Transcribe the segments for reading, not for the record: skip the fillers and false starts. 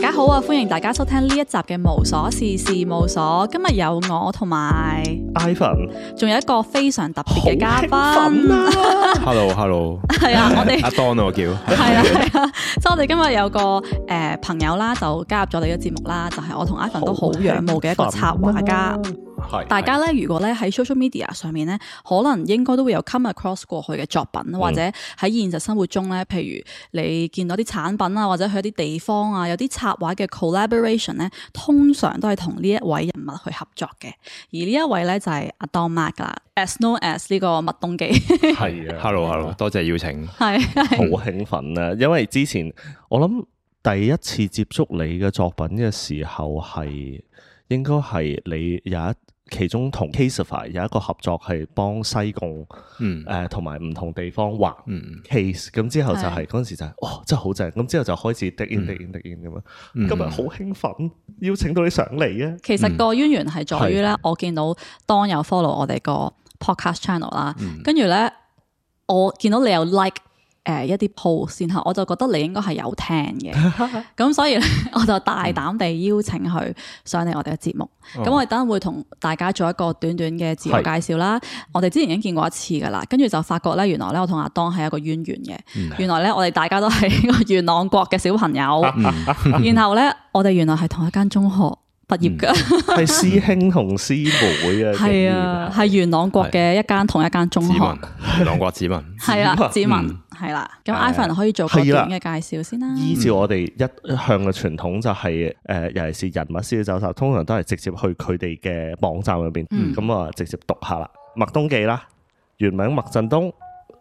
家好啊！歡迎大家收聽呢一集嘅無瑣事事務所。今日有我同埋 Ivan， 仲有一個非常特別嘅嘉賓。Hello， 係啊，我哋阿 Don 我叫。係啊，即係我哋今日有個朋友啦，就加入咗你嘅節目啦，就係我同 Ivan 都好仰慕嘅一個插畫家。大家咧，如果咧喺 social media 上面咧，可能應該都會有 come across 過去嘅作品，或者喺現實生活中咧，譬如你見到啲產品啊，或者去一啲地方啊，有啲插畫嘅 collaboration 咧，通常都係同呢一位人物去合作嘅。而呢一位咧就係阿 Don Mak 啦 ，as known as 呢個麥東基。係啊 Hello， 多謝邀請。係好興奮啊！因為之前我諗第一次接觸你嘅作品嘅時候係應該係你有其中同 Caseify 有一個合作係幫西貢同埋唔同地方畫 case， 咁之後就係嗰陣時就係哇真係好正，咁之後就開始滴 in 咁樣。今日好興奮，邀請到你上嚟啊！其實個淵源係在於咧，我見到當有 follow 我哋個 podcast channel 啦，跟住咧我見到你有 like 一啲 post， 然後我就覺得你應該係有聽嘅，咁所以咧我就大膽地邀請佢上嚟我哋嘅節目。咁我哋等陣會同大家做一個短短嘅自我介紹啦。我哋之前已經見過一次噶啦，跟住就發覺咧，原來咧我同阿當係一個淵源嘅。原來咧我哋大家都係一個元朗國嘅小朋友，然後咧我哋原來係同一間中學畢業噶，係師兄同師妹啊。係啊，係元朗國嘅同一間中學。元朗國子民係啊，子民係啦。咁 Ivan 可以做個短嘅介紹先啦。依照我哋一向嘅傳統就係尤其是人物資料搜集，通常都係直接去佢哋嘅網站入邊，咁啊直接讀下啦。麥東基啦，原名麥振東，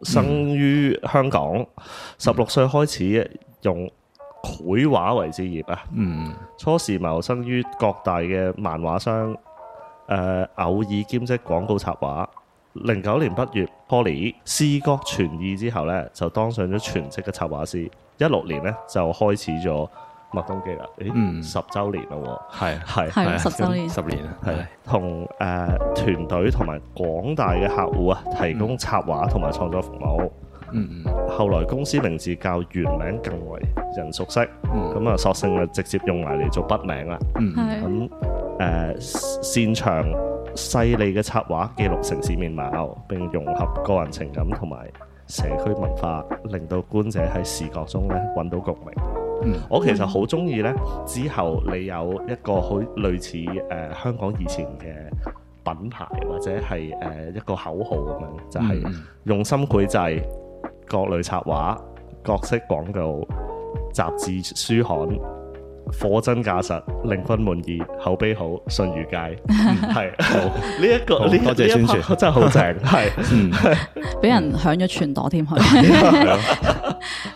生於香港，16歲開始用繪畫為職業啊。初時謀生於各大嘅漫畫商，偶爾兼職廣告插畫。09年畢業 Poly 視覺傳意之後咧，就當上咗全職嘅插畫師。16年咧就開始咗麥東基啦。10週年咯喎，係10週年，10年啊，係同團隊同埋廣大嘅客戶啊，提供插畫同埋創作服務。後來公司名字較原名更為人熟悉，咁啊索性啊直接用埋嚟做筆名啦。咁擅長細膩嘅插畫，記錄城市面貌，並融合個人情感同埋社區文化，令到觀者喺視覺中咧揾到共鳴。我其實好中意咧，之後你有一個好類似香港以前嘅品牌或者係一個口號咁樣，就係用心繪製各類插畫、各式廣告、雜誌、書刊。貨真價實，令分滿意，口碑好，信譽佳，係好呢一個呢多謝宣傳，真係好正，係俾人響咗全朵添佢，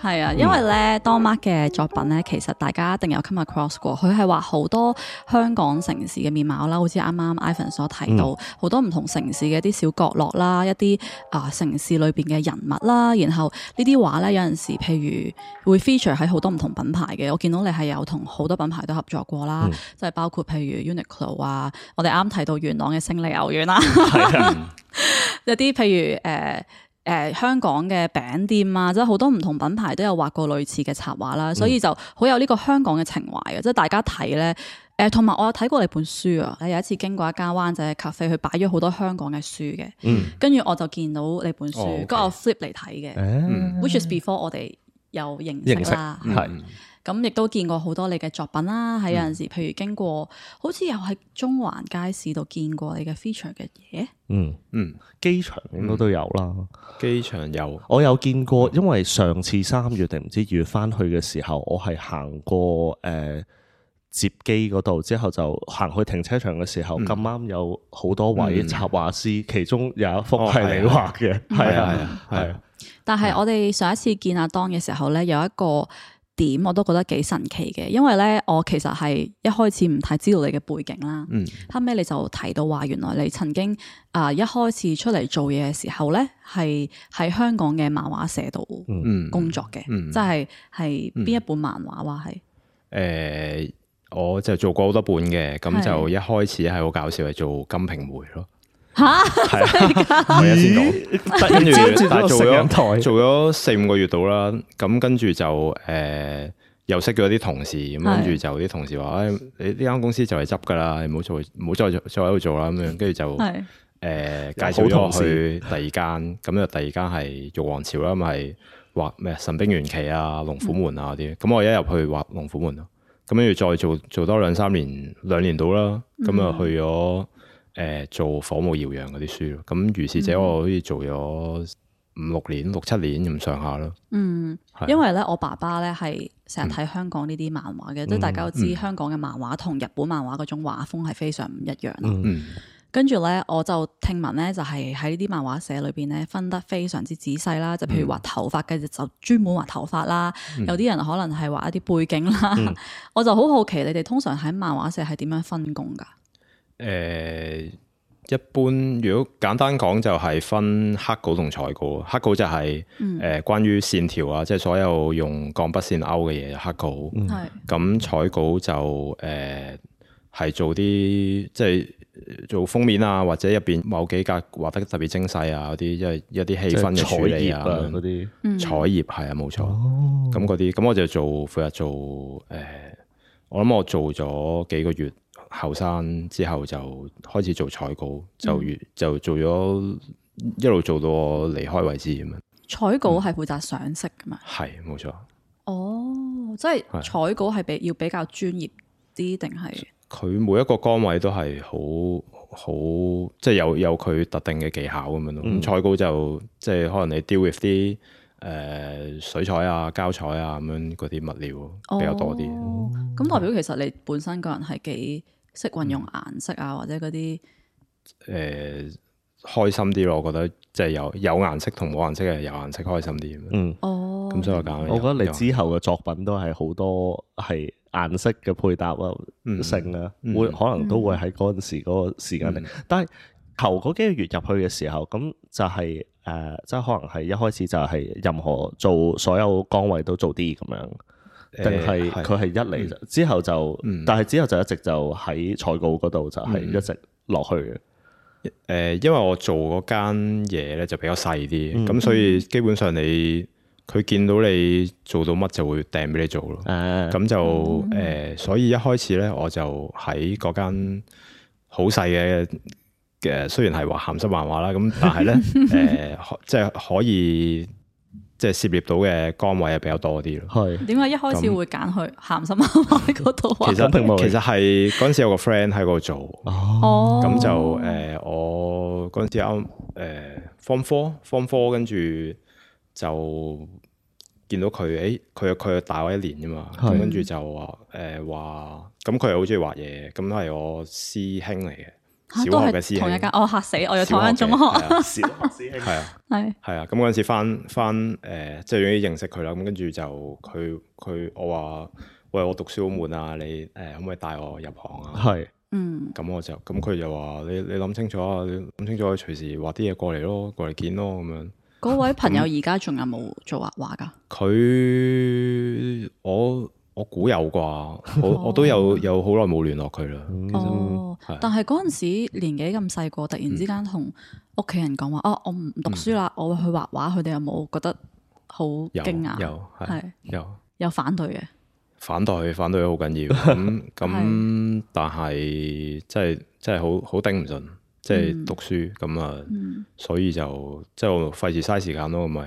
係啊，因為咧 Don Mak 嘅作品咧，其實大家一定有 come across 過，佢係畫好多香港城市嘅面貌啦，好似啱啱 Ivan 所提到，好多唔同城市嘅一啲小角落啦，一啲城市裏邊嘅人物啦，然後呢啲畫咧有陣時譬如會 feature 喺好多唔同品牌嘅，我見到你係有同好多品牌都合作過啦，即係包括譬如 Uniqlo 啊，我哋啱提到元朗嘅勝利牛丸啦，有啲譬如香港嘅餅店啊，即係好多唔同品牌都有畫過類似嘅插畫啦，所以就好有呢個香港嘅情懷嘅，即係大家睇咧。同埋我有睇過你本書啊，有一次經過一間灣仔嘅 cafe，佢擺咗好多香港嘅書嘅，跟住我就見到你本書，跟住我 flip 嚟睇嘅，which is before 我哋有認識啦，係。咁亦都見過好多你嘅作品啦，喺有陣時，譬如經過，好似又喺中環街市度見過你嘅 feature 嘅嘢。機場應該都有啦。機場有，我有見過，因為上次3月定唔知2月翻去嘅時候，我係行過接機嗰度，之後就行去停車場嘅時候，咁啱有好多位插畫師，其中有一幅係你畫嘅，係啊。但係我哋上一次見阿 Don 嘅時候咧，有一個點我都覺得幾神奇嘅，因為咧我其實係一開始唔太知道你嘅背景啦，後尾你就提到話原來你曾經一開始出嚟做嘢嘅時候咧，係喺香港嘅漫畫社度工作嘅，即係邊一本漫畫話係？我就做過好多本嘅，咁就一開始係好搞笑，係做金瓶梅咯。吓，係啊，我一先講，跟住但係做咗4-5個月到啦，咁跟住就又識咗啲同事，咁跟住就啲同事話：你呢間公司就嚟執㗎啦，你唔好再喺度做啦咁樣。跟住就介紹咗我去第二間，咁就第二間係玉皇朝啦，咁係畫咩神兵玄奇啊、龍虎門啊嗰啲。咁我一入去畫龍虎門咯，咁跟住再做多2-3年，2年到啦，咁啊去咗做火舞耀揚嗰啲書咯。咁如是者我好似做咗5-6年、6-7年咁上下咯。因為咧我爸爸咧係成日睇香港呢啲漫畫嘅，即係大家都知香港嘅漫畫同日本漫畫嗰種畫風係非常唔一樣咯。跟住咧我就聽聞咧就係喺呢啲漫畫社裏邊咧分得非常之仔細啦，就譬如畫頭髮嘅就專門畫頭髮啦，有啲人可能係畫一啲背景啦。我就好好奇你哋通常喺漫畫社係點樣分工㗎？一般如果簡單講就係分黑稿同彩稿。黑稿就係關於線條啊，即係所有用鋼筆線勾嘅嘢黑稿。咁彩稿就係做啲即係做封面啊，或者入邊某幾格畫得特別精細啊嗰啲，因為一啲氣氛嘅處理啊嗰啲。彩頁係啊，冇錯。咁嗰啲咁我就負責做我諗我做咗幾個月。後生之後就開始做彩稿，就做咗一路做到我離開為止咁樣。彩稿係負責上色噶嘛？係冇錯。即係彩稿係要比較專業啲定係？佢每一個崗位都係好即係有佢特定嘅技巧咁樣咯。咁彩稿就即係可能你 deal with 啲水彩啊、膠彩啊咁樣嗰啲物料比較多啲。咁代表其實你本身個人係幾識運用顏色啊，或者嗰啲開心啲咯，我覺得即係有顏色同冇顏色嘅有顏色開心啲。咁所以我覺得你之後嘅作品都係好多係顏色嘅配搭啊、性啊，會可能都會喺嗰陣時嗰個時間嚟。但係頭嗰幾個月入去嘅時候，咁就係即係可能係一開始就係任何做所有崗位都做啲咁樣。定係佢係一嚟之後就，但係之後就一直就喺彩稿嗰度就係一直落去嘅。因為我做嗰間嘢咧就比較細啲，咁所以基本上佢見到你做到乜就會掟俾你做咯。咁就所以一開始咧我就喺嗰間好細嘅雖然係話鹹濕漫畫啦，咁但係咧即係可以。即係涉獵到嘅崗位係比較多啲咯。係點解一開始會揀去鹹濕漫畫嗰度？其實係嗰陣時有個 friend 喺嗰度做。咁就我嗰陣時啱Form 4，跟住就見到佢，佢大我1年啫嘛。咁跟住就話咁佢又好中意畫嘢，咁係我師兄嚟嘅。小學嘅師兄，同一間，嚇死我！又同一間中學，小學師兄，係啊，咁嗰陣時翻即係終於認識佢啦。咁跟住就我話喂，我讀書好悶啊，你可唔可以帶我入行啊？咁佢就話你諗清楚啊，你諗清楚，隨時畫啲嘢過嚟咯，過嚟見咯咁樣。嗰位朋友而家仲有冇做畫畫㗎？佢我估有啩，我都有好耐冇聯絡佢啦。但係嗰陣時年紀咁細個，突然之間同屋企人講話，我唔讀書啦，我會去畫畫。佢哋有冇覺得好驚訝？有反對嘅。反對好緊要。咁但係真係好頂唔順，即係讀書咁啊。所以就即係我費事嘥時間咯，咪。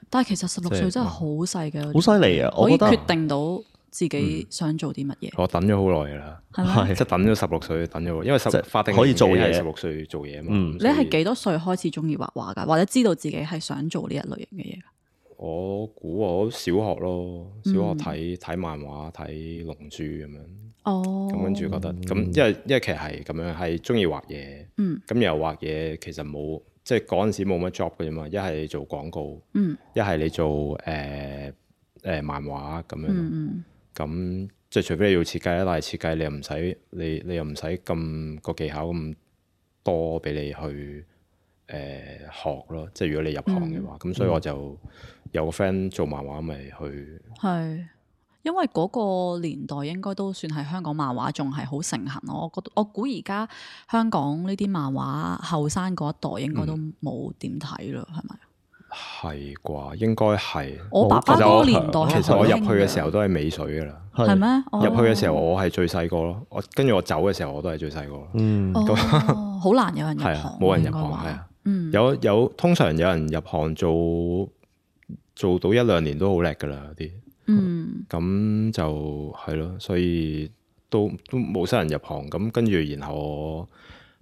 但係其實16歲真係好細嘅，好犀利啊！可以決定到自己想做啲乜嘢。我等咗好耐㗎啦，即係等咗16歲，等咗，因為法定可以做嘢16歲做嘢嘛。你係幾多歲開始中意畫畫㗎？或者知道自己係想做呢一類型嘅嘢㗎？我估我小學咯，小學睇漫畫，睇龍珠咁樣。咁跟住覺得咁，因為其實係咁樣，係中意畫嘢。咁又畫嘢其實冇，即係嗰陣時冇乜 job 嘅啫嘛。一係你做廣告，一係你做漫畫咁樣。咁即係除非你要設計啦，但係設計你又唔使咁個技巧咁多俾你去學咯。即係如果你入行嘅話，咁所以我就有個 friend 做漫畫，咪去。係因為嗰個年代應該都算係香港漫畫仲係好盛行咯。我估而家香港呢啲漫畫後生嗰一代應該都冇點睇咯，係咪？係啩，應該係。我爸爸嗰個年代其實我入去嘅時候都係尾水噶啦。係咩？入去嘅時候我係最細個咯，跟住我走嘅時候我都係最細個。好難有人入行，冇人入行係啊。有通常有人入行做到1-2年都好叻噶啦啲。咁就係咯，所以都冇乜人入行。咁跟住然後我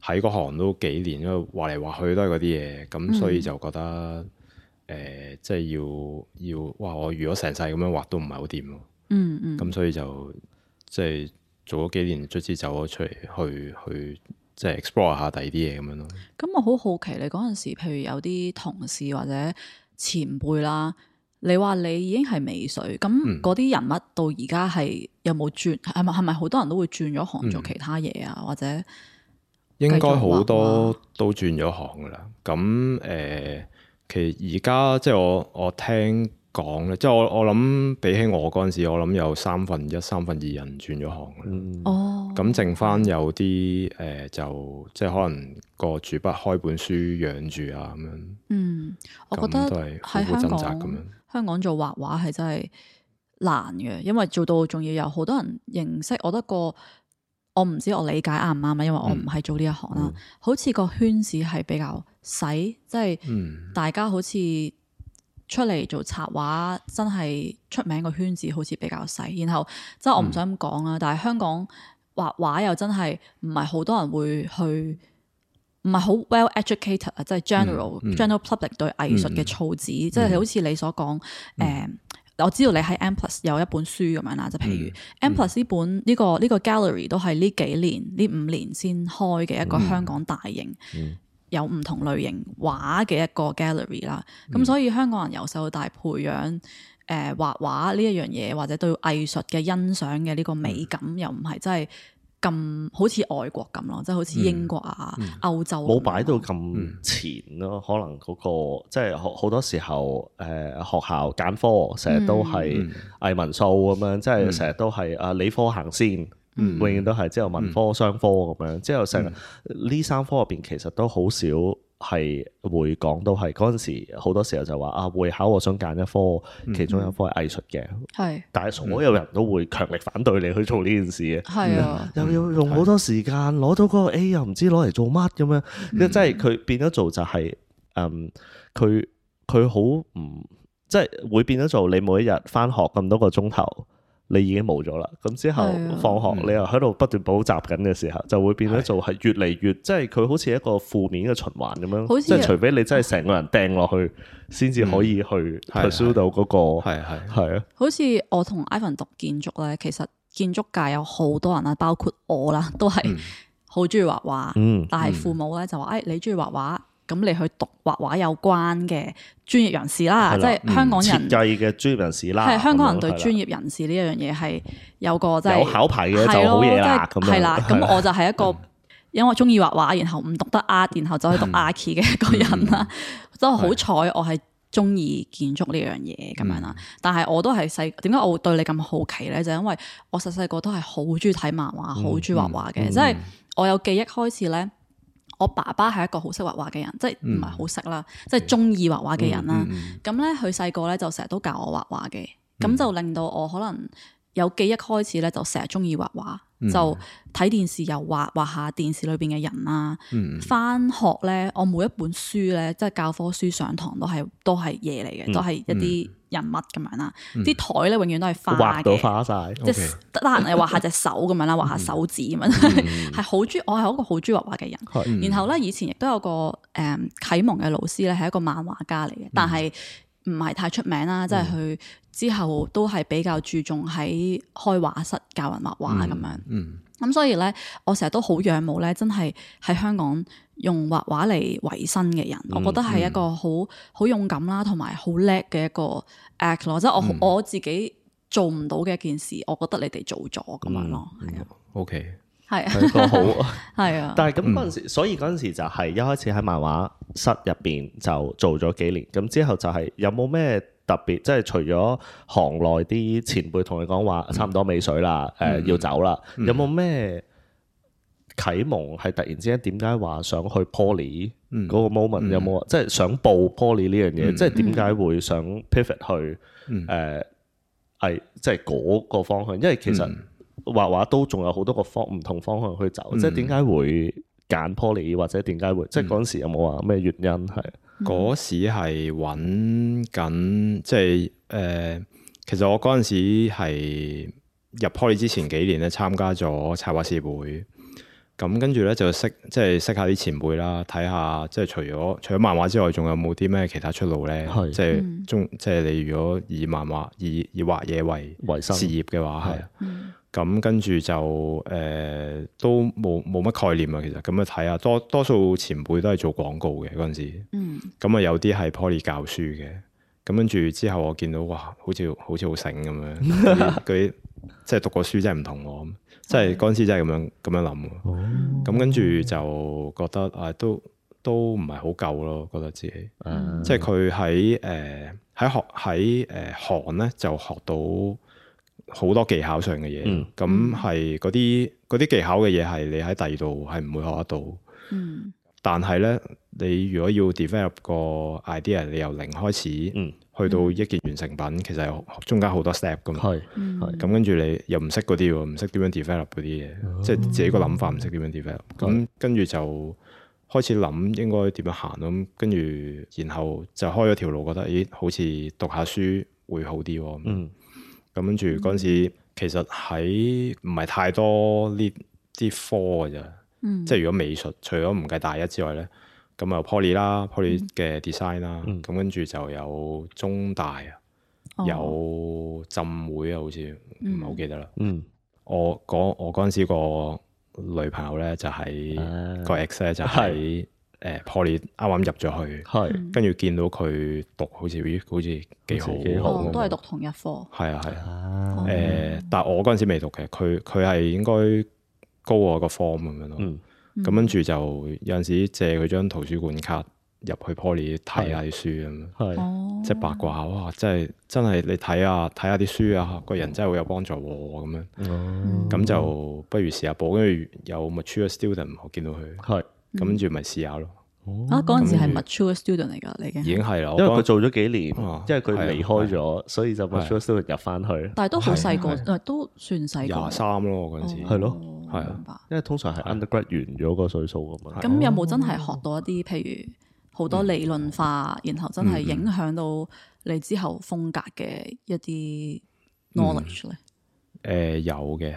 喺嗰行都幾年，因為畫嚟畫去都係嗰啲嘢，咁所以就覺得即係要哇！我如果成世咁樣畫都唔係好掂咯。咁所以就即係做咗幾年，卒之走咗出嚟去即係 explore 下第二啲嘢咁樣咯。咁我好好奇你嗰陣時，譬如有啲同事或者前輩啦，你話你已經係尾水，咁嗰啲人物到而家係有冇轉？係咪好多人都會轉咗行做其他嘢啊？或者應該好多都轉咗行噶啦。咁其實而家即係我聽講咧，即係我諗比起我嗰陣時，我諗有1/3、2/3人轉咗行啦。咁剩翻有啲就即係可能個主筆開本書養住啊咁樣。我覺得都係苦苦掙扎咁樣。香港做畫畫係真係難嘅，因為做到仲要有好多人認識。我唔知我理解啱唔啱啊，因為我唔係做呢一行啦。好似個圈子係比較細，即係大家好似出嚟做插畫，真係出名個圈子好似比較細。然後即係我唔想咁講啦，但係香港畫畫又真係唔係好多人會去，唔係好 well educated 啊，即係 general public 對藝術嘅措辭，即係好似你所講我知道你喺 M+ 有一本書咁樣啦，就譬如 M+ 呢本呢個 gallery 都係呢幾年呢5年先開嘅一個香港大型有唔同類型畫嘅一個 gallery 啦。咁所以香港人由細到大培養畫畫呢一樣嘢，或者對藝術嘅欣賞嘅呢個美感，又唔係真係咁好似外國咁咯，即係好似英國啊、歐洲冇擺到咁前咯。可能嗰個即係好多時候學校揀科成日都係藝文數咁樣，即係成日都係理科行先，永遠都係之後文科、商科咁樣，之後成呢3科入邊其實都好少係會講到係嗰陣時，好多時候就話會考我想揀一科，其中一科係藝術嘅，但係所有人都會強力反對你去做呢件事嘅，又要用好多時間攞到嗰個 A， 又唔知攞嚟做乜咁樣，即係佢變咗做就係佢好唔即係會變咗做你每一日返學咁多個鐘頭。你已經冇咗啦，咁之後放學你又喺度不斷補習緊嘅時候，就會變咗做係越嚟越，即係佢好似一個負面嘅循環咁樣，即係除非你真係成個人掟落去，先至可以去 pursue 到嗰個係啊。好似我同 Ivan 讀建築咧，其實建築界有好多人啦，包括我啦，都係好中意畫畫，但係父母咧就話：你中意畫畫。咁你去讀畫畫有關嘅專業人士啦，即係香港人設計嘅專業人士啦。係香港人對專業人士呢一樣嘢係有個即係有考牌嘅就好嘢啦。咁係啦，咁我就係一個因為中意畫畫，然後唔讀得 art，然後走去讀 archi 嘅一個人啦。真係好彩，我係中意建築呢樣嘢咁樣啦。但係我都係點解我會對你咁好奇咧？就因為我細細個都係好中意睇漫畫，好中意畫畫嘅。即係我有記憶開始咧。我爸爸係一個好識畫畫嘅人，即係唔係好識啦，即係中意畫畫嘅人啦。咁咧，佢細個咧就成日都教我畫畫嘅，咁就令到我可能有記憶開始咧，就成日中意畫畫，就睇電視又畫下電視裏邊嘅人啦。返學咧，我每一本書咧，即係教科書上堂都係嘢嚟嘅，都係一啲人物咁樣啦。啲台咧永遠都係花嘅，畫到花晒，即係得閒又畫下隻手咁樣啦，畫下手指咁樣，係好中意。我係一個好中意畫畫嘅人。然後咧，以前亦都有個啟蒙嘅老師咧，係一個漫畫家嚟嘅，但係唔係太出名啦。即係佢之後都係比較注重喺開畫室教人畫畫咁樣。咁所以咧，我成日都好仰慕咧，真係喺香港用畫畫嚟維生嘅人，我覺得係一個好勇敢啦，同埋好叻嘅一個 act 咯。即係我自己做唔到嘅一件事，我覺得你哋做咗咁樣咯。係啊，OK，係啊，個好係啊。但係咁嗰陣時，所以嗰陣時就係一開始喺漫畫室入邊就做咗幾年，咁之後就係有冇咩特別？即係除咗行內啲前輩同你講話差唔多尾水啦，要走啦，有冇咩啟蒙係突然之間點解話想去 Poly 嗰個 moment 有冇即係想報 Poly 呢樣嘢？即係點解會想 pivot 去即係嗰個方向？因為其實畫畫都仲有好多個唔同方向去走，即係點解會揀 Poly 或者點解會即係嗰陣時有冇話咩原因係？嗰時係揾緊，即係其實我嗰陣時係入 Poly 之前幾年咧，參加咗插畫協會，咁跟住咧就識下啲前輩啦，睇下即係除咗漫畫之外，仲有冇啲咩其他出路咧？即係即係你如果以漫畫以畫嘢為事業嘅話，係咁跟住就都冇乜概念啊。其實咁啊睇下，多數前輩都係做廣告嘅嗰陣時，咁啊有啲係 Poly 教書嘅，咁跟住之後我見到哇，好似好醒咁樣，嗰啲即係讀過書真係唔同我，即係嗰陣時真係咁樣諗。咁跟住就覺得都唔係好夠咯，覺得自己，即係佢喺韓咧就學到好多技巧上嘅嘢，咁係嗰啲技巧嘅嘢係你喺第二度係唔會學得到。但係咧，你如果要 develop 個 idea，你由零開始去到一件完成品，其實有中間好多 step 噶嘛。咁跟住你又唔識嗰啲喎，唔識點樣 develop 嗰啲嘢，即係自己個諗法唔識點樣 develop。咁跟住就開始諗應該點樣行咯。咁跟住然後就開咗條路，覺得咦好似讀下書會好啲喎。咁跟住嗰陣時其實喺唔係太多呢啲科嘅啫。即係如果美術除咗唔計大一之外咧，咁有 Poly 啦，Poly 嘅 design 啦，咁跟住就有中大啊，有浸會啊，好似唔係好記得啦。我嗰陣時個女朋友咧就喺個 ex 咧就喺Poly 啱啱入咗去，跟住見到佢讀好似幾好，都係讀同一科。係啊，但係我嗰陣時未讀嘅，佢係應該高我個 form 咁樣咯，咁跟住就有陣時借佢張圖書館卡入去 Poly 睇下啲書咁，即係八卦下，哇！真係你睇下啲書啊，個人真係好有幫助喎咁樣，咁就不如試下報，跟住有 mature student 我見到佢，咁跟住咪試下咯。嗰陣時係 mature student 嚟㗎，你已經係啦，因為佢做咗幾年，因為佢離開咗，所以就 mature student 入翻去。但係都好細個，都算細個。23咯，嗰陣時係咯，係啊，因為通常係 undergrad 完咗個歲數㗎嘛。咁有冇真係學到一啲譬如好多理論化，然後真係影響到你之後風格嘅一啲 knowledge 咧？有嘅，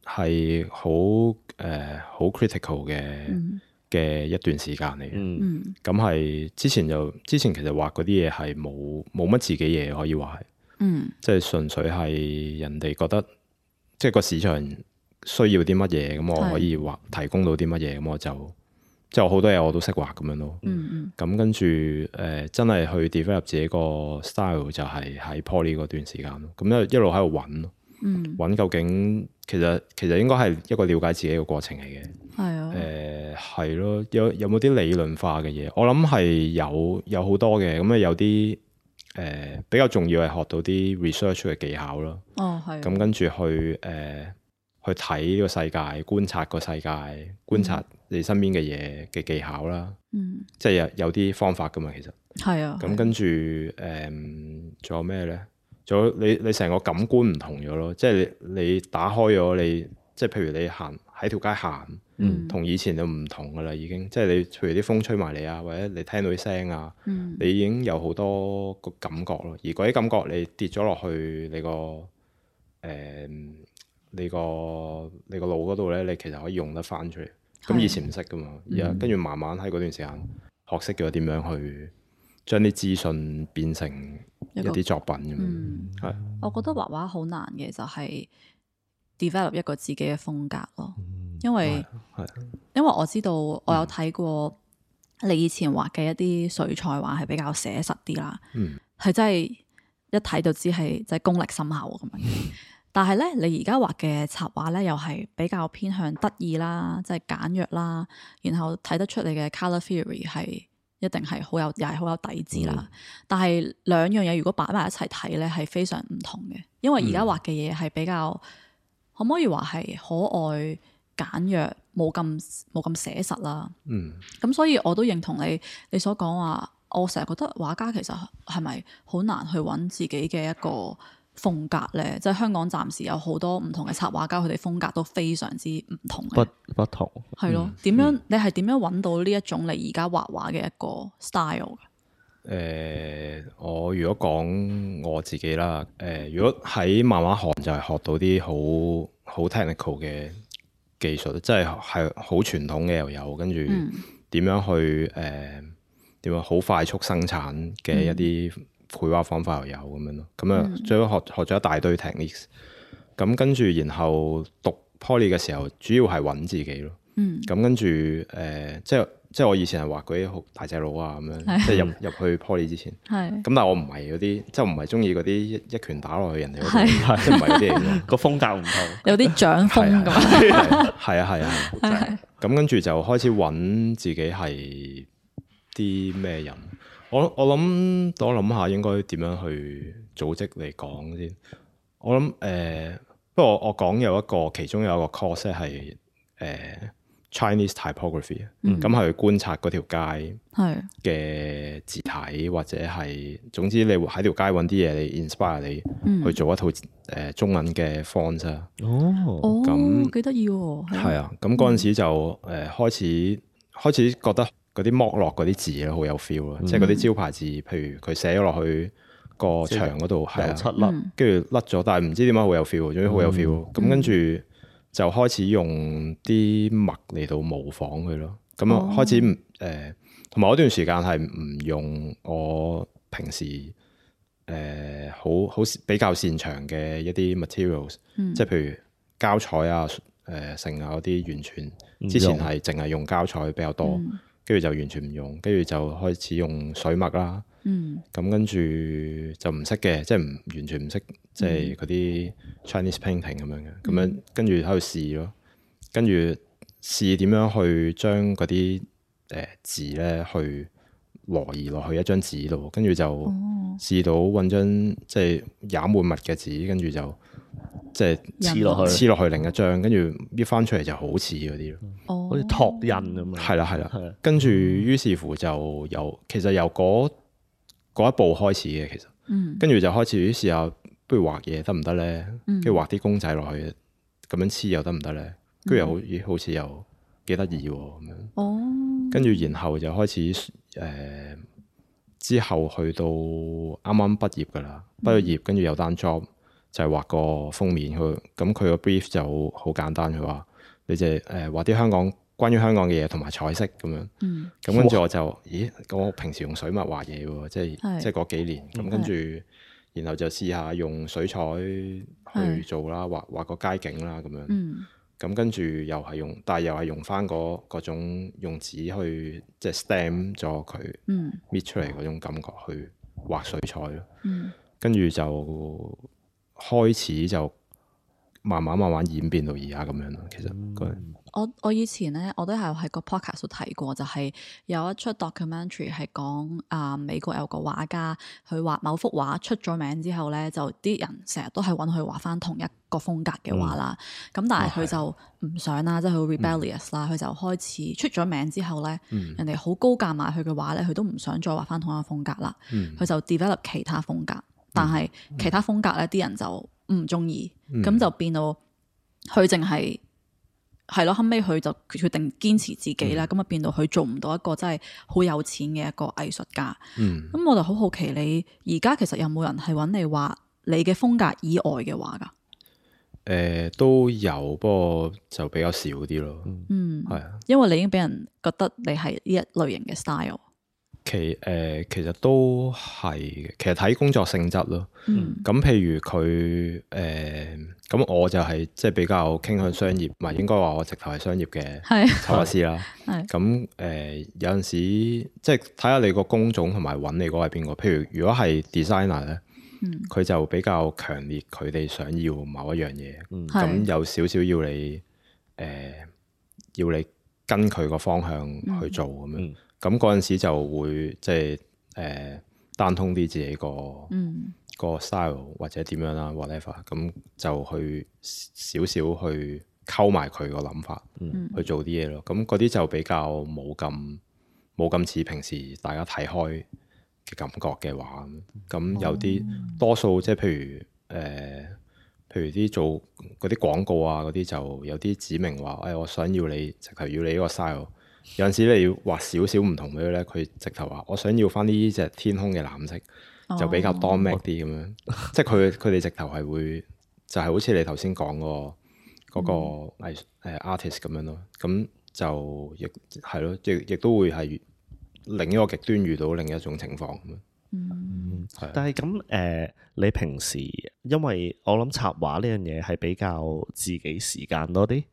係好 critical 嘅一段時間嚟嘅。咁係之前其實畫嗰啲嘢係冇乜自己嘢可以話係，即係純粹係人哋覺得即係個市場需要啲乜嘢，咁我可以提供到啲乜嘢，咁我就即係好多嘢我都識畫咁樣咯。咁跟住真係去 develop 自己個 style 就係喺 Poly 嗰段時間咯。咁一路喺度揾咯，揾究竟其實應該係一個了解自己嘅過程嚟嘅。係咯，有冇啲理論化嘅嘢？我諗係有好多嘅，咁有啲比較重要係學到啲 research 嘅技巧咯。咁跟住去睇呢個世界，觀察個世界，觀察你身邊嘅嘢嘅技巧啦。即係有啲方法噶嘛，其實。咁跟住仲有咩咧？仲有你成個感官唔同咗咯，即係你打開咗你，即係譬如你行喺條街行，同以前就唔同噶啦，已經。即係你譬如啲風吹埋嚟啊，或者你聽到啲聲啊，你已經有好多個感覺咯。而嗰啲感覺你跌咗落去你個腦嗰度咧，你其實可以用得翻出嚟。咁以前唔識噶嘛，而家跟住慢慢喺嗰段時間學識咗點樣去將啲資訊變成一啲作品咁樣。我覺得畫畫好難嘅就係 develop 一個自己嘅風格咯，因為我知道我有睇過你以前畫嘅一啲水彩畫係比較寫實啲啦，係真係一睇就知係即係功力深厚咁樣。但係咧，你而家畫嘅插畫咧，又係比較偏向得意啦，即係簡約啦，然後睇得出你嘅 colour theory 係一定係又係好有底子啦。但係兩樣嘢如果擺埋一齊睇咧，係非常唔同嘅。因為而家畫嘅嘢係比較可唔可以話係可愛簡約，冇咁寫實啦。嗯，咁所以我都認同你所講話，我成日覺得畫家其實係咪好難去揾自己嘅一個風格咧？即係香港暫時有好多唔同嘅插畫家，佢哋風格都非常之唔同嘅。不同係咯，點樣你係點樣揾到呢一種你而家畫畫嘅一個 style？我如果講我自己啦，如果喺漫畫行就係學到啲好 technical 嘅技術，即係好傳統嘅又有，跟住點樣去點樣好快速生產嘅一啲繪畫方法又有咁樣咯。咁啊，最後學咗一大堆 techniques。咁跟住然後讀 Poly 嘅時候，主要係揾自己咯。咁跟住即係我以前係畫嗰啲好大隻佬啊咁樣，即係入去 Poly 之前。咁但係我唔係嗰啲，即係唔係中意嗰啲一拳打落去人哋嗰度，即係唔係嗰啲嚟嘅。個風格唔同，有啲掌風咁。係啊。咁跟住就開始揾自己係啲咩人。我諗下應該點樣去組織嚟講先。我諗不過我講其中有一個 course 係Chinese typography，咁係觀察嗰條街嘅字體，或者係總之你喺條街揾啲嘢嚟 inspire 你去做一套中文嘅 font 啊。咁幾得意喎！係啊，咁嗰陣時就開始覺得嗰啲剝落嗰啲字咧好有 feel 咯，即係嗰啲招牌字，譬如佢寫咗落去個牆嗰度，係七粒，跟住甩咗，但係唔知點解好有 feel，總之好有 feel。咁跟住就開始用啲墨嚟到模仿佢咯。咁開始同埋嗰段時間係唔用我平時好比較擅長嘅一啲 materials，即係譬如膠彩啊、成啊嗰啲，完全之前係淨係用膠彩比較多，跟住就完全唔用，跟住就開始用水墨啦。咁跟住就唔識嘅，即係完全唔識，即係嗰啲 Chinese painting 咁樣嘅。咁樣跟住喺度試咯，跟住試點樣去將嗰啲字咧去挪移落去一張紙度，跟住就試到揾張即係染滿墨嘅紙，跟住就即係黐落去另一張，跟住搣翻出嚟就好似嗰啲咯，好似拓印咁樣。係啦，跟住於是乎就其實由嗰一步開始嘅，其實，跟住就開始試下，不如畫嘢得唔得咧？跟住畫啲公仔落去，咁樣黐又得唔得咧？跟住又好似又幾得意喎咁樣。跟住然後就開始之後去到啱啱畢業噶啦，畢咗業跟住有單 job 就係畫個封面，咁佢個 brief 就好簡單，佢話你就畫啲關於香港嘅嘢同埋彩色咁樣。咁跟住我就我平時用水墨畫嘢喎，即係嗰幾年。咁跟住然後就試下用水彩去做啦，畫個街景啦咁樣。咁跟住又係用翻嗰種用紙去即係 stamp 咗佢搣出嚟嗰種感覺去畫水彩咯。跟住就開始就慢慢演變到而家咁樣咯。其實我以前咧，我都係喺個 podcast 度睇過，就係有一出 documentary 係講美國有個畫家，佢畫某幅畫出咗名之後咧，就啲人成日都係揾佢畫翻同一個風格嘅畫啦。咁但係佢就唔想啦，即係佢 rebellious 啦，佢就開始出咗名之後咧，人哋好高價買佢嘅畫咧，佢都唔想再畫翻同一個風格啦。佢就 develop 其他風格，但係其他風格咧，啲人就唔中意，咁就變到佢淨係咯，後尾佢就決定堅持自己啦，咁啊變到佢做唔到一個真係好有錢嘅一個藝術家。咁我就好好奇，你而家其實有冇人係揾你畫你嘅風格以外嘅畫㗎？都有，不過就比較少啲咯。係啊，因為你已經俾人覺得你係呢一類型嘅 style。其實都係嘅，其實睇工作性質咯。咁譬如佢咁我就係即係比較傾向商業，唔係應該話我直頭係商業嘅插畫師啦。咁有陣時即係睇下你個工種同埋揾你嗰個係邊個。譬如如果係 designer 咧，佢就比較強烈，佢哋想要某一樣嘢，咁有少少要你跟佢個方向去做咁樣。咁嗰陣時就會即係單通啲自己個 style 或者點樣啦 whatever，咁就去少少去溝埋佢個諗法去做啲嘢咯。咁嗰啲就比較冇咁似平時大家睇開嘅感覺嘅話，咁有啲多數即係譬如啲做嗰啲廣告啊嗰啲，就有啲指明話，我想要你直頭要你呢個 style。有陣時你要畫少少唔同俾佢咧，佢直頭話我想要翻呢隻天空嘅藍色，就比較 dominant 啲咁樣。即係佢哋直頭係會就係好似你頭先講嗰個artist 咁樣咯。咁就亦係咯，亦都會係另一個極端遇到另一種情況咁樣。但係咁你平時因為我諗插畫呢樣嘢係比較自己時間多啲。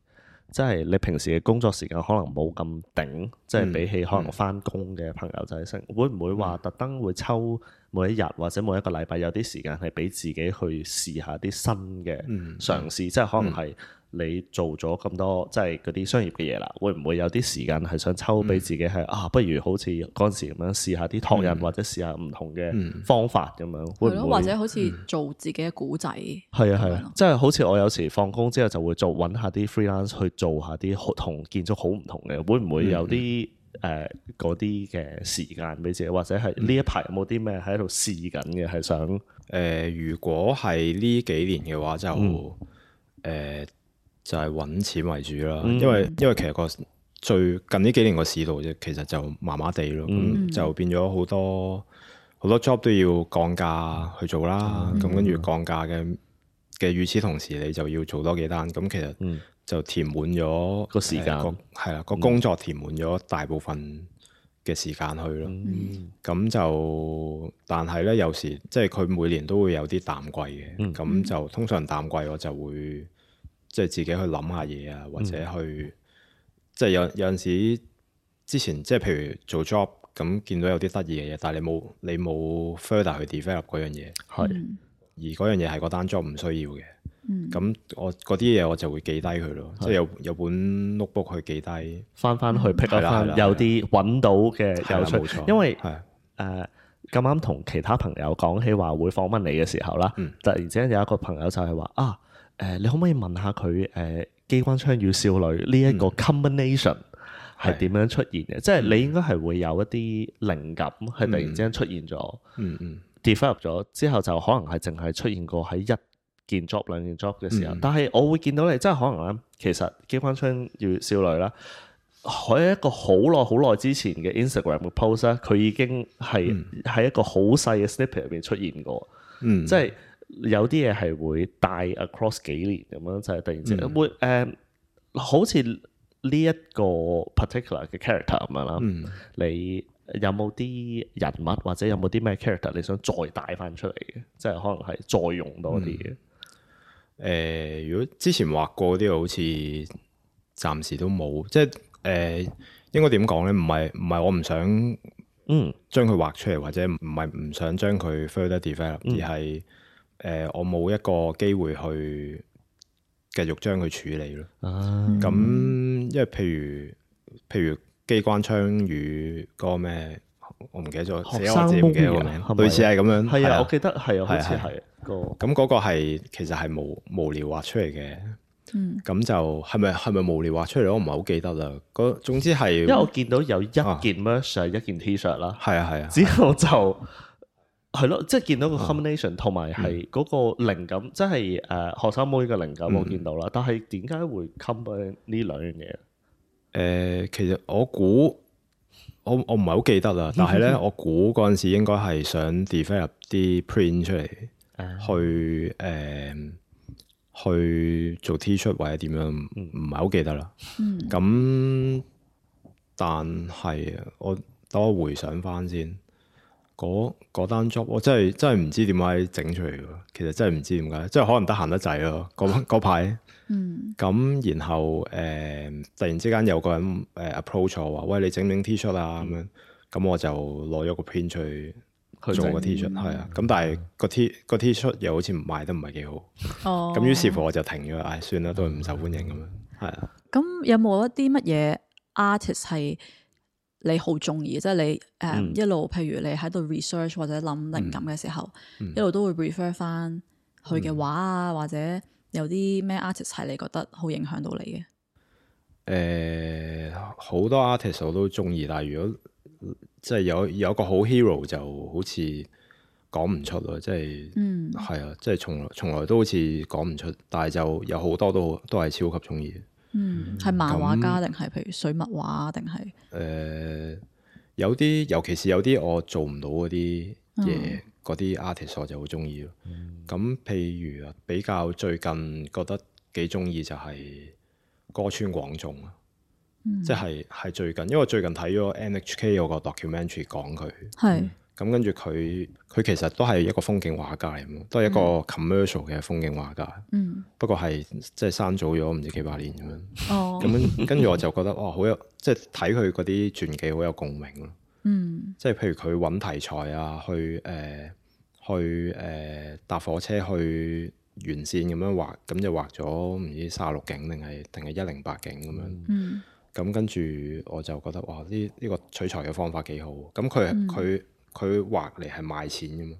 即係你平時嘅工作時間可能冇咁頂，即係比起可能返工嘅朋友仔會唔會話特登會抽每一日或者每一個禮拜有啲時間係俾自己去試下啲新嘅嘗試，即係可能係你做咗咁多即係嗰啲商業嘅嘢啦，會唔會有啲時間係想抽俾自己係不如好似嗰陣時咁樣試下啲拓印或者試下唔同嘅方法咁樣，會唔會或者好似做自己嘅古仔？係啊，即係好似我有時放工之後就會揾下啲 freelance 去做下啲同建築好唔同嘅，會唔會有啲嗰啲嘅時間俾自己，或者係呢一排有冇啲咩喺度試緊嘅係想如果係呢幾年嘅話就係揾錢為主啦，因為其實最近呢幾年個市道啫，其實就麻麻地咯，咁就變咗好多 job 都要降價去做啦，咁跟住降價嘅與此同時，你就要做多幾單，咁其實就填滿咗個時間，係啦，個工作填滿咗大部分嘅時間去咯，咁就但係咧有時即係佢每年都會有啲淡季嘅，咁就通常淡季我就會即係自己去諗下嘢啊，或者去即係有陣時之前即係譬如做 job 咁見到有啲得意嘅嘢，但係你冇 further 去 develop 嗰樣嘢，而嗰樣嘢係嗰單 job 唔需要嘅，咁我嗰啲嘢我就會記低佢咯，即係有本 notebook 去記低，翻去 pick up 翻有啲揾到嘅有趣，因為咁啱同其他朋友講起話會訪問你嘅時候啦，突然之間有一個朋友就係話你可唔可以問下佢機關槍與少女呢一個 combination 係點樣出現嘅？即係你應該係會有一啲靈感係突然之間出現咗，develop 咗之後就可能係淨係出現過喺一件 job 兩件 job 嘅時候。但係我會見到你，即係可能咧，其實機關槍與少女啦，喺一個好耐之前嘅 Instagram 嘅 post 咧，佢已經係喺一個好細嘅 snippet 入邊出現過，即係。有啲嘢係會帶 across 幾年咁樣，就係突然之間會好似呢一個 particular 嘅 character 咁樣啦。你有冇啲人物或者有冇啲咩 character 你想再帶翻出嚟嘅？即係可能係再用多啲嘅。如果之前畫過啲，好似暫時都冇。即係應該點講咧？唔係我唔想將佢畫出嚟，或者唔係唔想將佢 further develop，而係我冇一個機會去繼續將佢處理咯。咁因為譬如機關槍與嗰個咩，我唔記得咗，寫我自己唔記得個名，類似係咁樣。係啊，我記得係啊，好似係個。咁嗰個係其實係無聊畫出嚟嘅。咁就係咪無聊畫出嚟？我唔係好記得啦。總之係，因為我見到有一件 merch 係一件 T-shirt 啦。係啊。之後就係咯，即係見到個 combination 同埋係嗰個靈感，即係學生妹嘅靈感我見到啦。但係點解會 combine 呢兩樣嘢？其實我估我唔係好記得啦。但係咧，我估嗰陣時應該係想 develop 啲 print 出嚟，去做 T-shirt 或者點樣，唔係好記得啦。咁但係等我回想翻先。嗰單 job 我真係唔知點解整出嚟嘅，其實真係唔知點解，即係可能得閒得滯咯。嗰排，咁然後突然之間有個人approach 我話：喂，你整唔整 T-shirt 啊？咁樣，咁我就攞咗個 print 出去做個 T-shirt，係啊。咁但係個 T-shirt 又好似賣得唔係幾好，咁於是乎我就停咗，算啦，都係唔受歡迎咁樣，係啊。咁有冇一啲乜嘢 artist 係你好中意，即係你一路，譬如你喺度 research 或者諗靈感嘅時候，一路都會 refer 翻佢嘅畫啊，或者有啲咩 artist 係你覺得好影響到你嘅？好多 artist 我都中意，但係如果即係有個好 hero 就好似講唔出咯，即係係啊，即係從來都好似講唔出，但係就有好多都係超級中意。係漫畫家定係譬如水墨畫定係？有啲，尤其是有啲我做唔到嗰啲嘢，嗰啲 artist 我就好中意咯。咁譬如比較最近覺得幾中意就係歌川廣重啊，即係最近，因為最近睇咗 NHK 有個 documentary 講佢，係咁跟住佢其實都係一個風景畫家嚟嘅，都係一個 commercial 嘅風景畫家。不過係即係生早咗唔知幾百年咁樣。咁跟住我就覺得哇，好有即係睇佢嗰啲傳記好有共鳴咯。即係譬如佢揾題材啊，去搭火車去沿線咁樣畫，咁就畫咗唔知36景定係108景咁樣。咁跟住我就覺得哇，呢個取材嘅方法幾好。咁佢畫嚟係賣錢嘅嘛，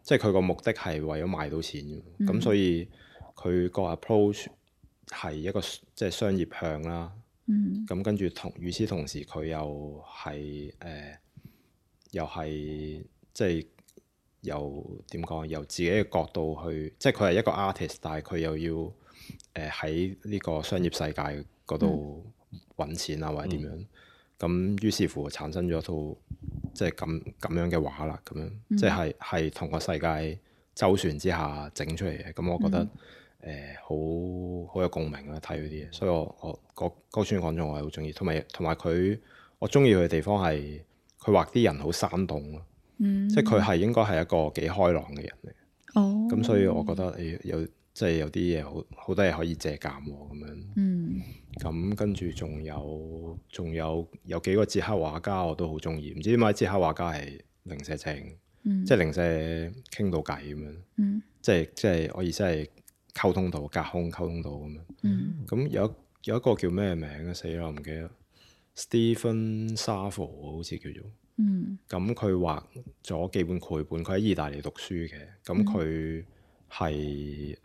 即係佢個目的係為咗賣到錢嘅。咁所以佢個 approach 係一個即係商業向啦。咁跟住與此同時佢又係即係由點講？由自己嘅角度去，即係佢係一個 artist，但係佢又要喺呢個商業世界嗰度揾錢啊，或者點樣？咁於是乎產生咗一套即係咁樣嘅畫啦，咁樣即係同個世界周旋之下整出嚟嘅。咁我覺得好有共鳴啦，睇嗰啲嘢。所以我歌川廣重我係好中意，同埋佢我中意佢嘅地方係佢畫啲人好生動咯。即係佢係應該係一個幾開朗嘅人嚟。咁所以我覺得即係有啲嘢好多嘢可以借鑑喎，咁樣。咁跟住仲有幾個捷克畫家我都好中意，唔知點解捷克畫家係零舍正，即係零舍傾到偈咁樣。即係我意思係溝通到隔空溝通到咁樣。咁有一個叫咩名啊？死啦，唔記得。Stephen Safo 好似叫做。咁佢畫咗幾本繪本，佢喺意大利讀書嘅。咁佢係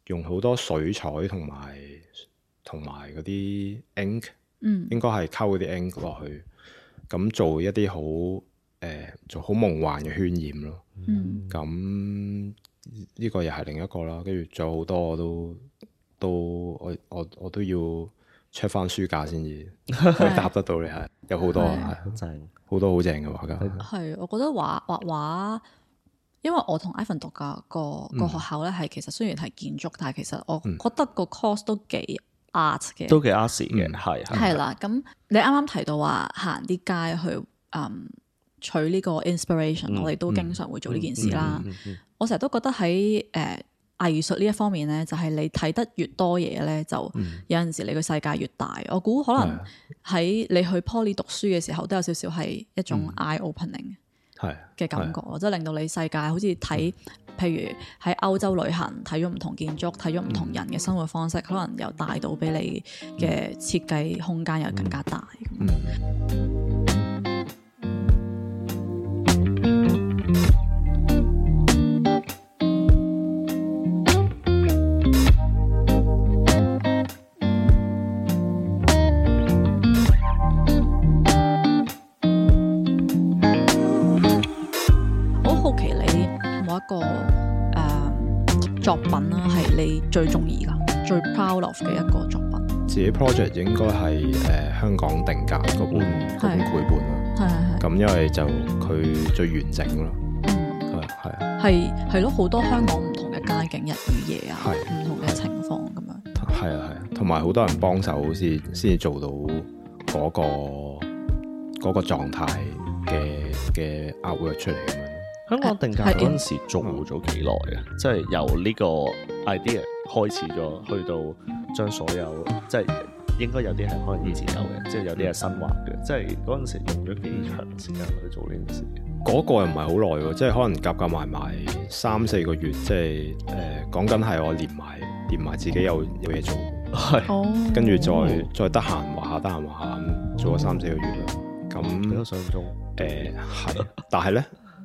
用好多水彩同埋嗰啲 ink，應該係溝嗰啲 ink 落去，咁做一啲做好夢幻嘅渲染咯。咁呢個又係另一個啦。跟住仲有好多我都要 check 翻書架先至可以答得到你。係有好多好多好正嘅畫家。係，我覺得畫畫，因為我同 Ivan 讀嘅個學校咧，係其實雖然係建築，但係其實我覺得個 course 都幾 art 嘅，都幾 art 嘅，係啦。咁你啱啱提到話行啲街去取呢個 inspiration，我哋都經常會做呢件事啦。我成日都覺得喺藝術呢一方面咧，就係你睇得越多嘢咧，就有陣時你個世界越大。我估可能喺你去 Poly 讀書嘅時候，都有少少係一種 eye opening 嘅感覺，即係令到你世界好似睇，譬如喺歐洲旅行，睇咗唔同建築，睇咗唔同人嘅生活方式，可能又帶到俾你嘅設計空間又更加大。作品啦，係你最中意噶、最 proud of 嘅一個作品。自己 project 應該係香港定格嗰本繪本啦。咁因為就佢最完整咯。係咯，好多香港唔同嘅街景、日與夜啊，唔同嘅情況咁樣。係啊，同埋好多人幫手先至做到嗰個狀態嘅 artwork 出嚟咁樣。香港定格嗰陣時做咗幾耐啊？即係由呢個 idea 開始咗，去到將所有即係應該有啲係可能以前有嘅，即係有啲係新畫嘅。即係嗰陣時用咗幾長時間去做呢件事？嗰個又唔係好耐喎，即係可能夾埋3-4個月，即係講緊係我連埋自己有嘢做，跟住再得閒畫下咁做咗3-4個月啦。咁比較想中係，但係咧。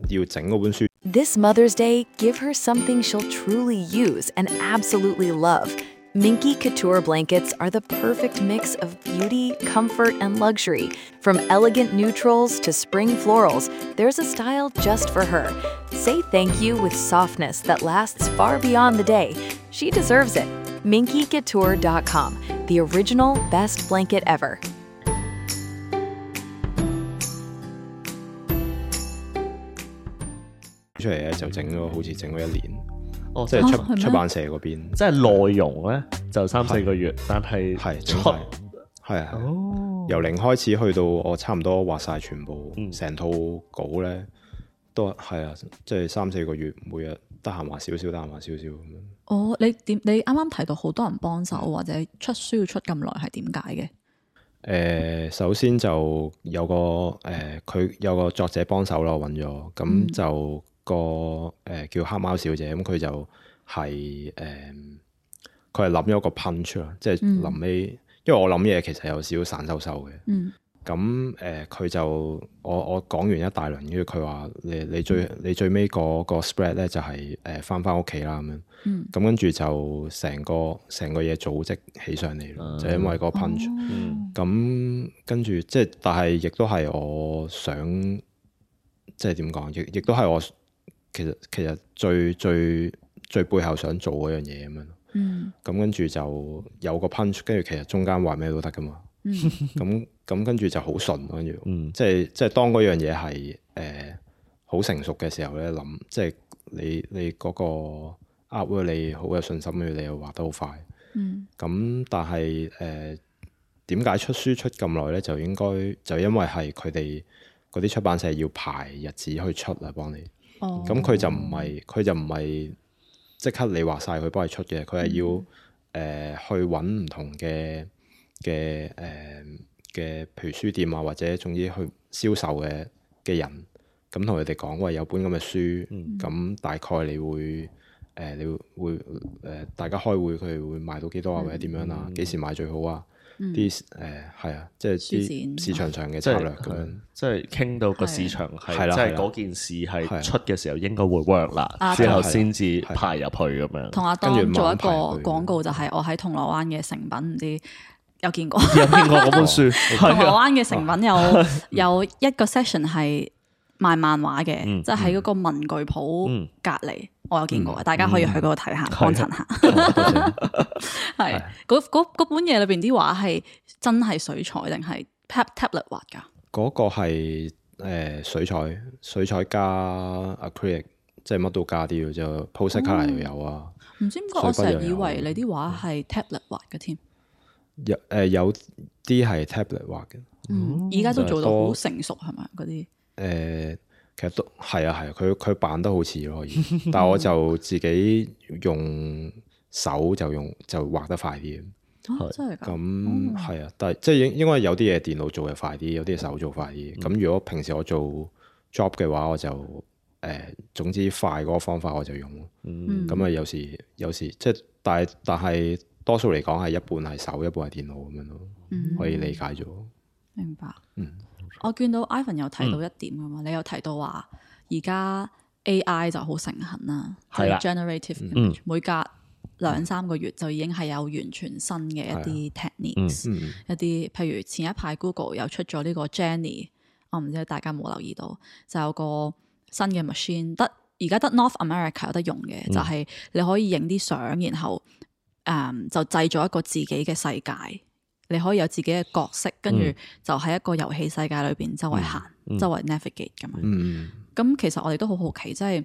要整嗰本書 This Mother's Day, give her something she'll truly use and absolutely love. Minky Couture blankets are the perfect mix of beauty, comfort, and luxury. From elegant neutrals to spring florals, there's a style just for her. Say thank you with softness that lasts far beyond the day. She deserves it. MinkyCouture.com, the original best blanket ever.出嚟咧就整咗好似整咗1年，哦，即係出版社嗰邊，即係內容咧就3-4個月，但係出係啊，由零開始去到我差唔多畫晒全部成套稿咧，都係啊，即係3-4個月，每日得閒畫少少，得閒畫少少咁樣。哦，你啱啱提到好多人幫手或者出書要出咁耐，係點解嘅？首先就有個佢有個作者幫手咯，揾咗咁就叫黑貓小姐，咁佢就係佢係諗咗個 punch 啦，即係臨尾，因為我諗嘢其實有少少散收收嘅，咁佢就我講完一大輪，跟住佢話你最尾個 spread 咧就係翻屋企啦咁樣，咁跟住就成個嘢組織起上嚟咯，就因為個 punch，咁跟住即係，但係亦都係我想即係點講，亦都係我其實最背後想做嗰樣嘢咁樣，咁跟住就有個 punch， 跟住其實中間話咩都得噶嘛。咁跟住就好順，跟住即係當嗰樣嘢係好成熟嘅時候咧，諗即係你嗰個 artwork 你好有信心，跟住你又畫得好快。咁但係點解出書出咁耐咧？就因為係佢哋嗰啲出版社要排日子去出啊，幫你。咁佢就唔係即刻你畫晒佢幫你出嘅，佢係要去揾唔同嘅譬如書店啊，或者總之去銷售嘅人，咁同佢哋講，喂，有本咁嘅書，咁大概你會大家開會，佢哋會賣到幾多啊，或者點樣啊？幾時買最好啊？啲係啊，即係啲市場上嘅策略咁樣，即係傾到個市場係，即係嗰件事係出嘅時候應該會 work 啦，之後先至排入去咁樣。同阿當做一個廣告就係我喺銅鑼灣嘅誠品，唔知有見過嗰本書。銅鑼灣嘅誠品有一個 session 係賣漫畫嘅，即係喺嗰個文具鋪隔離，我有見過，大家可以去嗰度睇下，幫襯下。係嗰本嘢裏邊啲畫係真係水彩定係 tablet 畫㗎？嗰個係水彩加 acrylic， 即係乜都加啲嘅，就 postcard 又有啊。唔知點解我成日以為你啲畫係 tablet 畫嘅添。有啲係 tablet 畫嘅，而家都做到好成熟係咪嗰啲？其實都係啊，佢扮得好似咯，可以，但係我就自己用手就畫得快啲。真係㗎？咁係啊，但係即係應該有啲嘢電腦做嘅快啲，有啲嘢手做快啲。咁如果平時我做 job 嘅話，我就總之快嗰個方法我就用。咁啊有時即係，但係多數嚟講係一半係手，一半係電腦咁樣咯，可以理解咗。明白。我見到 Ivan 有提到一點㗎嘛，你有提到話而家 AI 就好盛行啦，即係 generative image，每隔2-3個月就已經係有完全新嘅一啲 techniques，一啲譬如前一排 Google 又出咗呢個 Jenny， 我唔知大家冇留意到，就有個新嘅 machine， 而家得 North America 有得用嘅，就係你可以影啲相，然後就製造一個自己嘅世界。你可以有自己嘅角色，跟住就喺一個遊戲世界裏邊周圍行、周圍 navigate 咁樣。咁其實我哋都好好奇，即係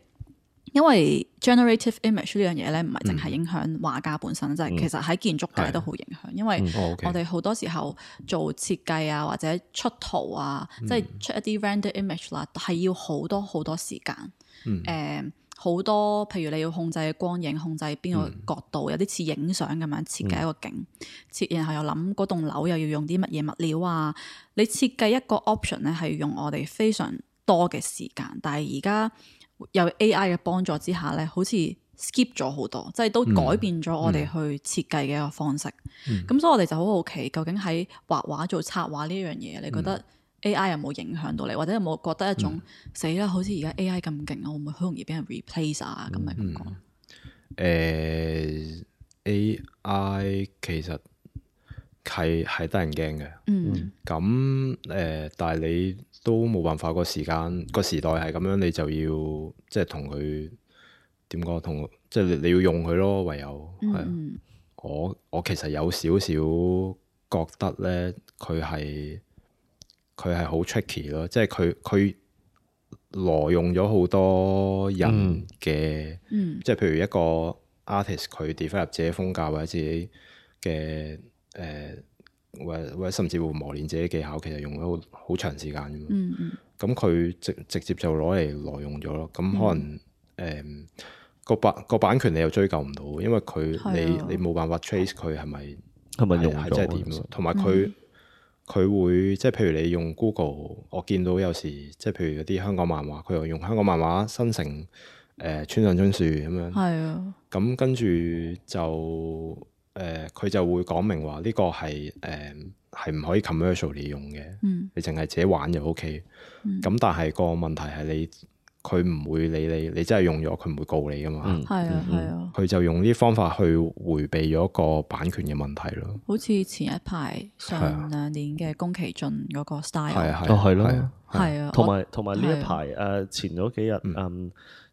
因為 generative image 呢樣嘢咧，唔係淨係影響畫家本身，即係其實喺建築界都好影響。因為我哋好多時候做設計啊，或者出圖啊，即係出一啲 render image 啦，係要好多好多時間。好多譬如你要控制光影，控制邊個角度，有啲似影相咁樣設計一個景，然後又諗嗰棟樓又要用啲乜嘢物料啊。你設計一個 option 咧，係用我哋非常多嘅時間，但係而家有 AI 嘅幫助之下咧，好似 skip 咗好多，即係都改變咗我哋去設計嘅一個方式。咁所以我哋就好好奇，究竟喺畫畫做策劃呢樣嘢，你覺得 AI 有冇影響到你，或者有冇覺得一種死啦，好似而家 AI 咁勁啊，會唔會好容易俾人 replace 啊？咁嘅感覺。AI 其實係得人驚嘅。咁但係你都冇辦法，個時代係咁樣，你就要即係同佢點講，即係你要用佢咯，唯有係。我其實有少少覺得咧，佢係好 tricky 咯，即係佢挪用咗好多人嘅，即係譬如一個 artist 佢 develop 自己風格或者自己嘅或者甚至乎磨練自己技巧，其實用咗好長時間嘅嘛。咁佢直接就攞嚟挪用咗咯。咁可能個版權你又追究唔到，因為你冇辦法 trace 佢係咪用係真係點咯。同埋佢會即係譬如你用 Google， 我見到有時即係譬如有啲香港漫畫，佢又用香港漫畫生成村上春樹咁樣。係啊。咁跟住就佢就會講明話呢個係唔可以 commercially 用嘅。你淨係自己玩就 OK。咁但係個問題係佢唔會理你真係用咗，佢唔會告你噶嘛。係啊。佢就用呢啲方法去迴避咗個版權嘅問題咯。好似前一排上2年嘅宮崎駿嗰個 style。係咯。係啊。同埋呢一排前嗰幾日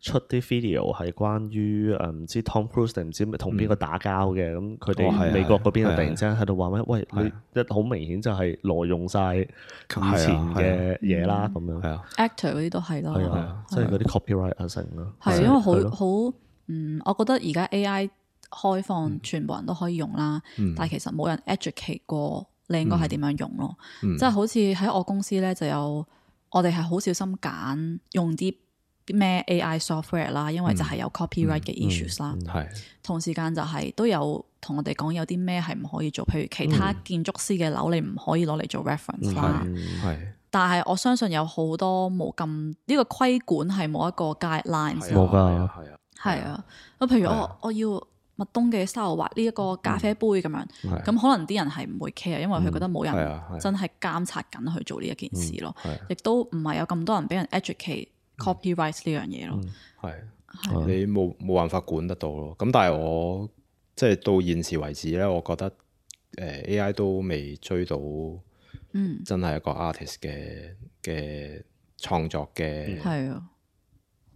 出啲 video 係關於唔知 Tom Cruise 定唔知同邊個打交嘅，咁佢哋美國嗰邊突然之間喺度話咩？喂，你一好明顯就係挪用晒以前嘅嘢啦，咁樣。係啊 ，actor 嗰啲都係咯。係啊，即係嗰啲 copyright 啊成咯。係因為好我覺得而家 AI 開放，全部人都可以用啦，但係其實冇人 educate 過你應該係點樣用咯。即係好似喺我公司咧，就有我哋係好小心揀用啲咩 AI software 啦，因為就係有 copyright 嘅 issues 啦。同時間就係都有同我哋講有啲咩係唔可以做，譬如其他建築師嘅樓你唔可以攞嚟做 reference 啦。但係我相信有好多冇咁呢個規管係冇一個 guidelines。冇㗎。係啊。咁譬如我要麥東嘅 style 畫呢一個咖啡杯咁樣，咁可能啲人係唔會 care，因為佢覺得冇人真係監察緊去做呢一件事咯。亦都唔係有咁多人俾人 educate copyright 呢樣嘢咯。你冇辦法管得到咯。咁但係我即係到現時為止咧，我覺得AI 都未追到真係一個 artist 嘅創作嘅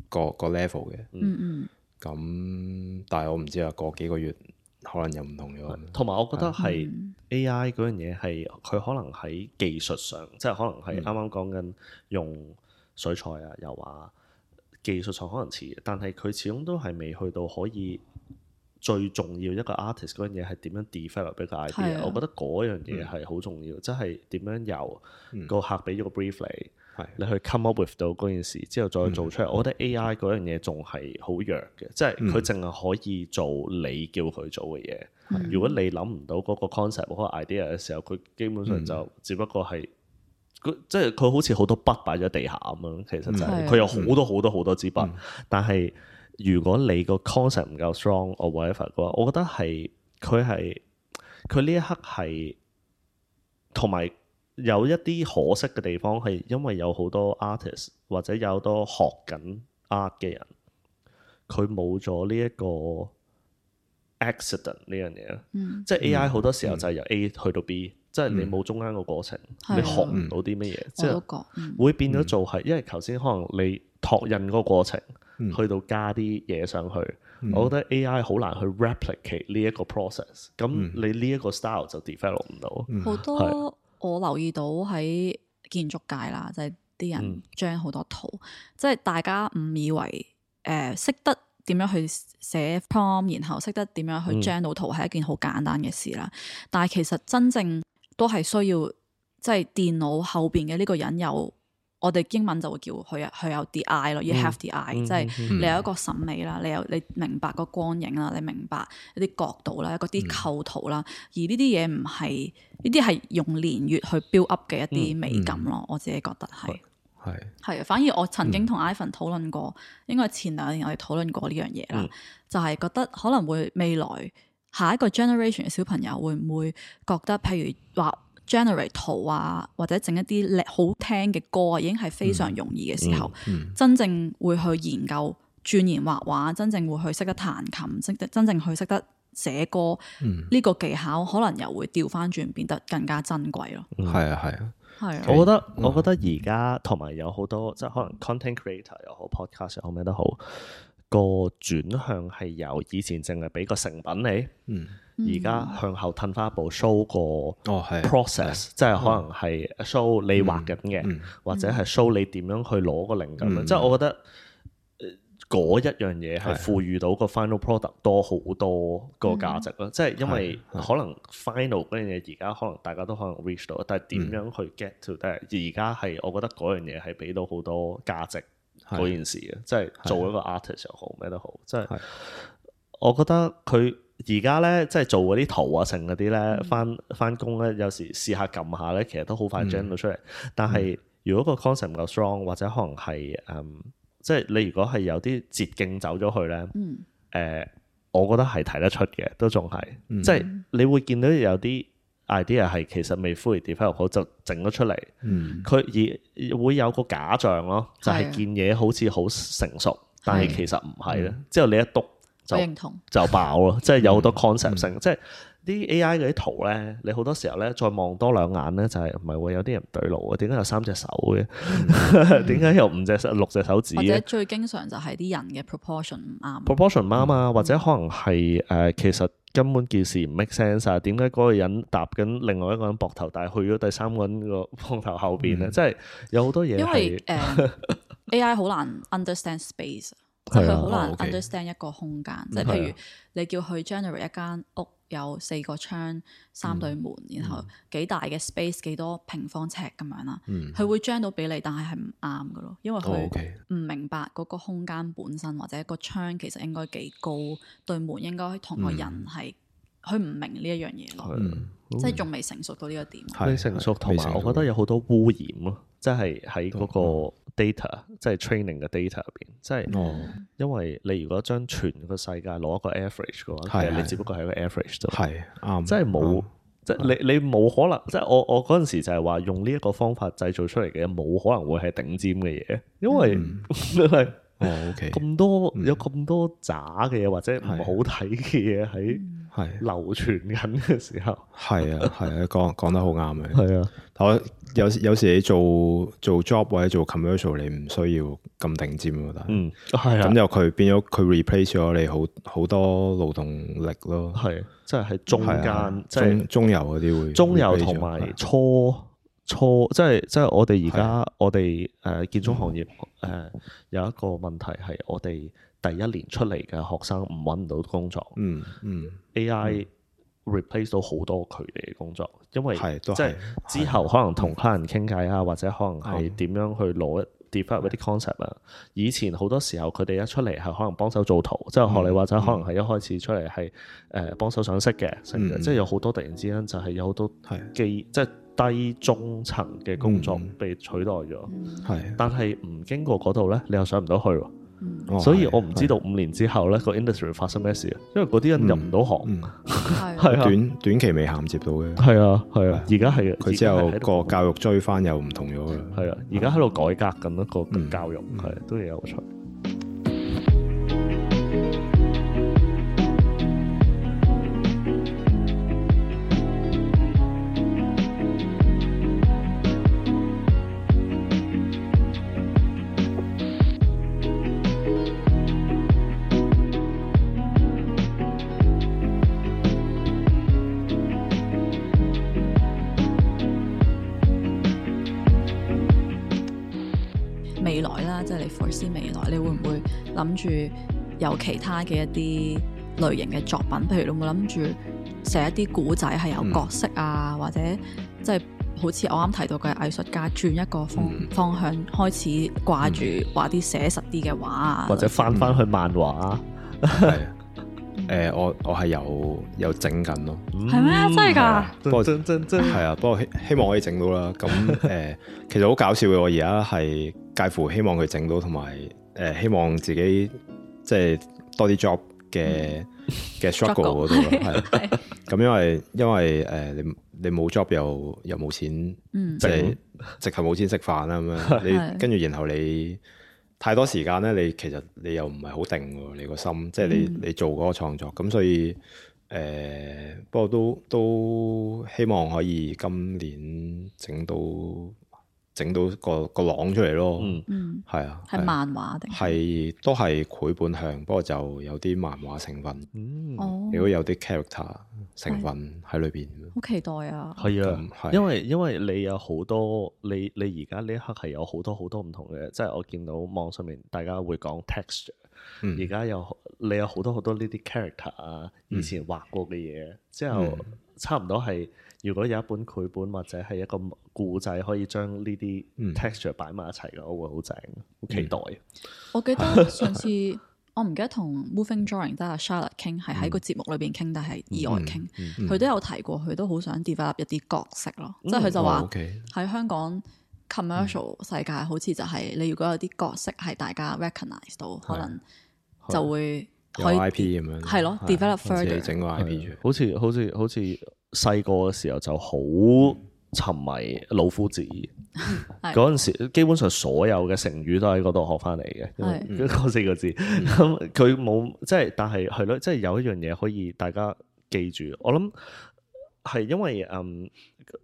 個 level 嘅。咁但係我唔知啊，過幾個月可能又唔同咗。同埋我覺得係 AI 嗰樣嘢係佢可能喺技術上，即係可能係啱啱講緊用水彩啊，又話技術上可能遲，但係佢始終都係未去到可以最重要一個 artist 嗰樣嘢係點樣 develop 一個 idea。我覺得嗰樣嘢係好重要，即係點樣由個客俾咗個 brief 你去 come up with 到嗰件事之後再做出嚟。我覺得 AI 嗰樣嘢仲係好弱嘅，即係佢淨係可以做你叫佢做嘅嘢。如果你諗唔到嗰個 concept 嗰個 idea 嘅時候，佢基本上就只不過係即係佢好似好多筆擺咗地下咁樣。其實就係佢有好多支筆，但係如果你個 concept 唔夠 strong or whatever 嘅話，我覺得係佢呢一刻係同埋。有一啲可惜嘅地方係因為有好多 artist 或者有好多學緊 art 嘅人，佢冇咗呢一個 accident 呢樣嘢。即係 AI 好多時候就係由 A 去到 B，即係你冇中間個過程，你學唔到啲乜嘢，即係會變咗做係。因為頭先可能你拓印嗰個過程，去到加啲嘢上去，我覺得 AI 好難去 replicate 呢一個 process。咁你呢一個 style 就 develop 唔到。好多。我留意到喺建築界啦，就係啲人將好多圖，即係大家誤以為識得點樣去寫 prompt，然後識得點樣去將到圖係一件好簡單嘅事啦。但係其實真正都係需要即係電腦後邊嘅呢個人有，我哋英文就會叫佢有啲 eye 咯，要 have the eye，即係你有一個審美啦，你明白個光影啦，你明白一啲角度啦，嗰啲構圖啦，而呢啲嘢唔係呢啲係用年月去 build up 嘅一啲美感咯。我自己覺得係啊，反而我曾經同 Ivan 討論過，應該前2年我哋討論過呢樣嘢啦，就係覺得可能會未來下一個 generation 嘅小朋友會唔會覺得，譬如話 generate 圖啊，或者整一啲好聽嘅歌啊，已經係非常容易嘅時候，真正會去研究鑽研畫畫，真正會去識得彈琴，真正去識得寫歌，呢個技巧可能又會調翻轉變得更加珍貴咯。係啊，係啊。係，我覺得而家同埋有好多即係可能 content creator 又好 podcast 又好咩都好，個轉向係由以前淨係俾個成品你，而家向後褪翻一步 show 個 process，即係可能係 show 你畫緊嘅，或者係 show 你點樣去攞個靈感。即係我覺得嗰一樣嘢係賦予到個 final product 多好多個價值咯。即係因為可能 final 嗰樣嘢而家可能大家都可能 reach 到，但係點樣去 get to that？而家係我覺得嗰樣嘢係俾到好多價值嗰件事嘅，即係做一個 artist 又好咩都好。即係我覺得佢而家咧，即係做嗰啲圖啊成嗰啲咧，翻工咧，有時試下撳下咧，其實都好快 generate 到出嚟。但係如果個 concept 唔夠 strong，或者可能係即係你如果係有啲捷徑走咗去咧，我覺得係睇得出嘅，都仲係，即係你會見到有啲 idea 係其實未 fully develop 好就整咗出嚟，佢而會有個假象咯，就係件嘢好似好成熟，但係其實唔係咧。之後你一篤就爆咯，即係有好多 concept 性，即係啲 AI 嗰啲圖咧，你好多時候咧再望多兩眼咧，就係唔係喎？有啲人唔對路啊？點解有3隻手嘅？點解有6隻手指嘅？或者最經常就係啲人嘅 proportion 唔啱，proportion 唔啱啊，或者可能係其實根本件事唔 make sense 啊？點解嗰個人搭緊另外一個人膊頭，但係去咗第三個人個膊頭後邊咧？即係有好多嘢。因為AI 好難 understand space。即係佢好難 understand 一個空間，即係譬如你叫佢 generate 一間屋有4個窗、3對門，然後幾大嘅 space 幾多平方尺咁樣啦，佢會 generate 到俾你，但係唔啱㗎咯，因為佢唔明白嗰個空間本身，或者個窗其實應該幾高，對門應該同個人係，佢唔明呢一樣嘢咯，即係仲未成熟到呢個點。未成熟，同埋我覺得有好多污染咯，即係喺嗰個 data，即係 training 嘅 data 入邊，即係因為你如果將全個世界攞一個 average 嘅話，其實你只不過係一個 average 啫，係啱，即係冇，即係你冇可能，即係我嗰陣時就係話用呢一個方法製造出嚟嘅嘢，冇可能會係頂尖嘅嘢，因為係咁多有咁多渣嘅嘢或者唔好睇嘅嘢喺流傳緊嘅時候，係啊講得好啱嘅，係啊。我有時你做 job 或者做 commercial， 你唔需要咁頂尖咯，但係咁又佢變咗佢 replace 咗你好多勞動力咯，係即係喺中間，即係中游嗰啲會中游同埋初即係我哋而家我哋建築行業有一個問題係我哋第一年出嚟嘅學生唔揾唔到工作，AI replace 到好多佢哋嘅工作，因為即係之後可能同客人傾偈啊，或者可能係點樣去攞 develop 一啲 concept 啊。以前好多時候佢哋一出嚟係可能幫手做圖，即係學你話齋，可能係一開始出嚟係幫手上色嘅，即係有好多突然之間就係有好多即係低中層嘅工作被取代咗，但係唔經過嗰度咧，你又上唔到去喎。所以我唔知道5年之後咧個 industry 發生咩事啊，因為嗰啲人入唔到行，係短期未銜接到嘅，係啊，而家係佢之後個教育追翻又唔同咗啦，係啊，而家喺度改革緊一個教育，係都幾有趣。未來啦，即係你 foresee 未來，你會唔會諗住有其他嘅一啲類型嘅作品？譬如你有冇諗住寫一啲古仔係有角色啊，或者即係好似我啱提到嘅藝術家轉一個方向，開始掛住畫啲寫實啲嘅畫啊，或者翻去漫畫。我係有整緊咯，係咩？真係㗎？不過真係啊！不過希望可以整到啦。咁其實好搞笑嘅，我而家係介乎希望佢整到，同埋希望自己即係多啲 job 嘅嘅 struggle 嗰度係。咁因為你冇 job 又冇錢，即係直頭冇錢食飯啦咁樣。你跟住然後你太多時間咧，你其實你又唔係好定喎，你個心，即係你做嗰個創作。咁所以不過都希望可以今年整到個朗出嚟咯。係啊，係漫畫定係都係繪本向，不過就有啲漫畫成分，如果有啲 character 成分喺裏邊。好期待啊！係啊，因為你有好多你而家呢一刻係有好多唔同嘅，即係我見到網上面大家會講 texture，而家你有好多呢啲 character 啊，以前畫過嘅嘢，之後差唔多係如果有一本繪本或者係一個故仔可以將呢啲 texture 擺埋一齊嘅，我會好正，好期待。我記得上次我唔記得同 Moving Drawing 即係 Charlotte 傾，係喺個節目裏邊傾，但係意外傾，佢都有提過，佢都好想 develop 一啲角色咯。即係佢就話喺香港 commercial 世界，好似就係你如果有啲角色係大家 recognize 到，可能就會可以 IP 咁樣，係咯 develop further 整個 IP 好似細個嘅時候就好沉迷老夫子。嗰陣時基本上所有嘅成語都喺嗰度學翻嚟嘅，嗰4個字。咁佢冇即係，但係係咯，即係有一樣嘢可以大家記住。我諗係因為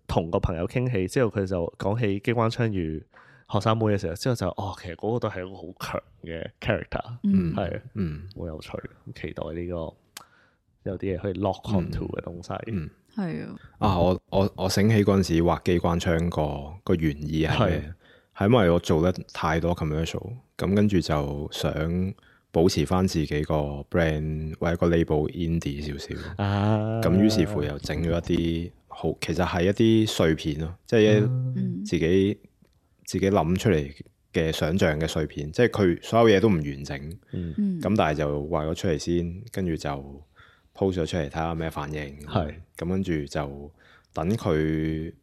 同個朋友傾起之後，佢就講起機關槍與學生妹嘅時候，之後就其實嗰個都係一個好強嘅 character，係好有趣，期待呢個有啲嘢可以 lock onto 嘅東西。係啊！我醒起嗰陣時畫機關槍個原意係咩？係因為我做得太多 commercial， 咁跟住就想保持翻自己個 brand 或者個 label indie 少少。咁於是乎又整咗一啲好，其實係一啲碎片咯，即係自己諗出嚟嘅想像嘅碎片，即係佢所有嘢都唔完整。咁但係就畫咗出嚟先，跟住就post 咗出嚟睇下咩反應，咁跟住就等佢，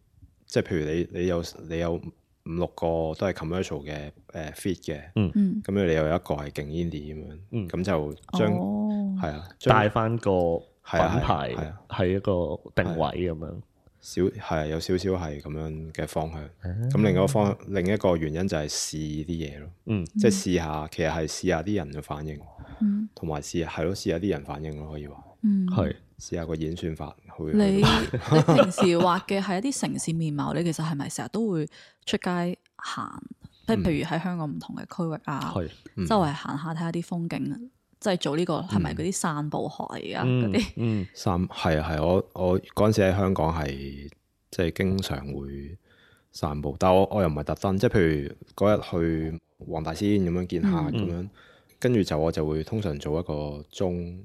即係譬如你有5-6個都係 commercial 嘅feed 嘅，咁樣你又有一個係勁 indie 咁樣，咁就將帶翻個品牌係一個定位咁樣，有少少係咁樣嘅方向。咁另一個原因就係試啲嘢咯，即係試下，其實係試下啲人嘅反應，同埋試下啲人反應咯，可以話。試下個演算法。你平時畫嘅係一啲城市面貌，你其實係咪成日都會出街行？譬如喺香港唔同嘅區域啊，周圍行下睇下啲風景，即係做呢個係咪嗰啲散步學嚟啊？嗰啲係我嗰陣時喺香港係即係經常會散步，但係我又唔係特登，即係譬如嗰日去黃大仙咁樣見客咁樣，跟住我就會通常做一個鐘。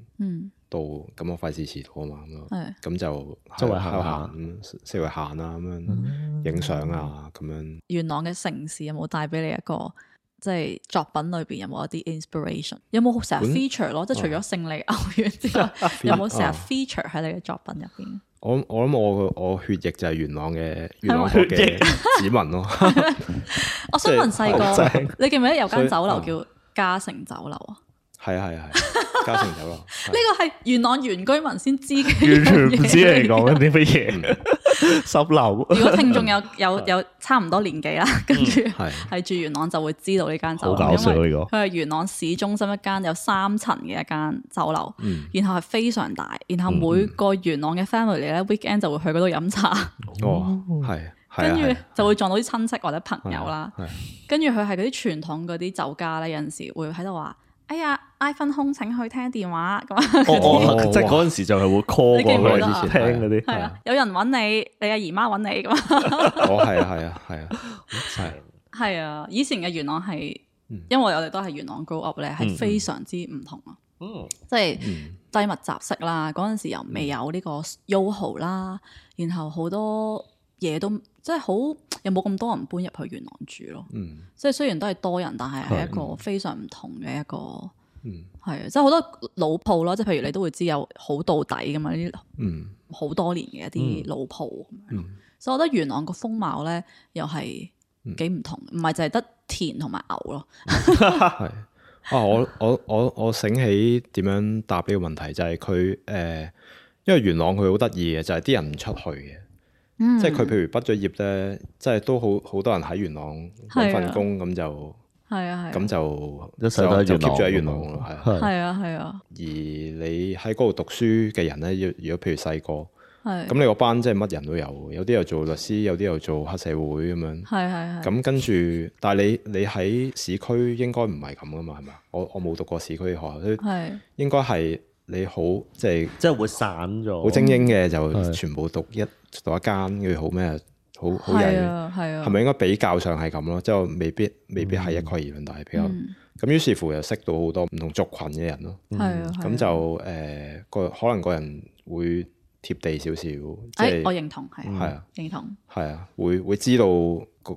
到咁我費事遲到啊嘛，咁就周圍行四圍行啊，咁樣影相啊，咁樣。元朗嘅城市有冇帶俾你一個即係作品裏邊有冇一啲 inspiration？ 有冇成日 feature 咯？即係除咗勝利牛丸之外，有冇成日 feature 喺你嘅作品入邊？我諗我血液就係元朗嘅子民咯。我想問細個，你記唔記得有間酒樓叫嘉誠酒樓啊？係嘉誠酒樓。呢個係元朗原居民先知嘅，完全唔知你講緊啲乜嘢。10樓。如果聽眾有差唔多年紀啦，跟住係住元朗就會知道呢間酒樓。好搞笑呢個。佢係元朗市中心一間有3層嘅一間酒樓，然後係非常大，然後每個元朗嘅 family 咧 weekend 就會去嗰度飲茶。跟住就會撞到啲親戚或者朋友啦。跟住佢係嗰啲傳統嗰啲酒家咧，有陣時會喺度話。哎呀 ，iPhone 空請去聽電話咁即係嗰陣時就係會 call 過去聽嗰啲。係啊，有人揾你，你阿姨媽揾你咁。係啊，以前嘅元朗係，因為我哋都係元朗 grow up 咧，係非常之唔同啊。即係低密集式啦，嗰陣時又未有呢個 YOHO 啦，然後好多嘢都即係好，又冇咁多人搬入去元朗住咯。即係雖然都係多人，但係一個非常唔同嘅一個，係啊，即係好多老鋪咯。即係譬如你都會知有好到底㗎嘛，呢啲好多年嘅一啲老鋪咁樣。所以我覺得元朗個風貌咧，又係幾唔同，唔係就係得田同埋牛咯。我醒起點樣答呢個問題，就係佢因為元朗佢好得意嘅，就係啲人唔出去嘅。即係佢譬如畢咗業咧，即係都好多人喺元朗揾份工，咁就咁就一世都喺 keep 住喺元朗咯，係啊。而你喺嗰度讀書嘅人咧，如果譬如細個，咁你個班即係乜人都有啲又做律師，有啲又做黑社會咁樣。咁跟住，但係你喺市區應該唔係咁噶嘛，係咪？我冇讀過市區嘅學校，應該係你好即係會散咗，好精英嘅就全部讀一間，跟住好咩好曳，係咪應該比較上係咁咯？即係未必係一概而論，但係比較咁，於是乎又識到好多唔同族群嘅人咯。咁就可能個人會貼地少少，即係我認同，認同，係啊，會知道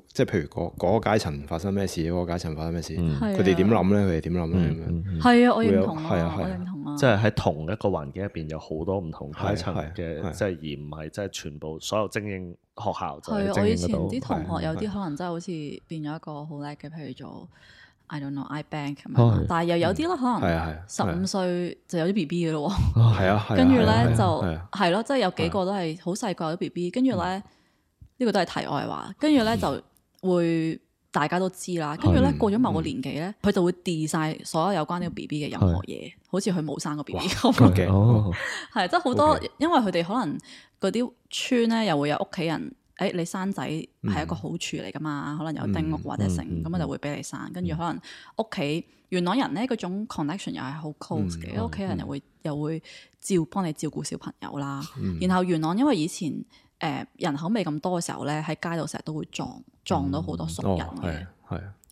即係譬如嗰個階層發生咩事，嗰個階層發生咩事，佢哋點諗咧？佢哋點諗咧？咁樣係啊，我認同，我認同啊，即係喺同一個環境入邊有好多唔同階層嘅，即係而唔係即係全部所有精英學校就係精英嗰度。我以前啲同學有啲可能真係好似變咗一個好叻嘅，譬如做I don't know iBank 咁樣，但係又有啲咧可能15歲就有啲 BB 嘅咯喎，跟住咧就係咯，即係有幾個都係好細個有啲 BB，跟住咧呢個都係題外話，跟住咧就會大家都知啦，跟住咧過咗某個年紀咧，佢就會 delete 晒所有有關呢個 BB 嘅任何嘢，好似佢冇生過 BB 咁。係即係好多，因為佢哋可能嗰啲村咧又會有屋企人。你生仔係一個好處嚟噶嘛？可能有丁屋或者成，咁我就會俾你生。跟住可能屋企元朗人咧嗰種 connection 又係好 close 嘅，屋企人又會幫你照顧小朋友啦。然後元朗因為以前人口未咁多嘅時候咧，喺街度成日都會撞到好多熟人嘅。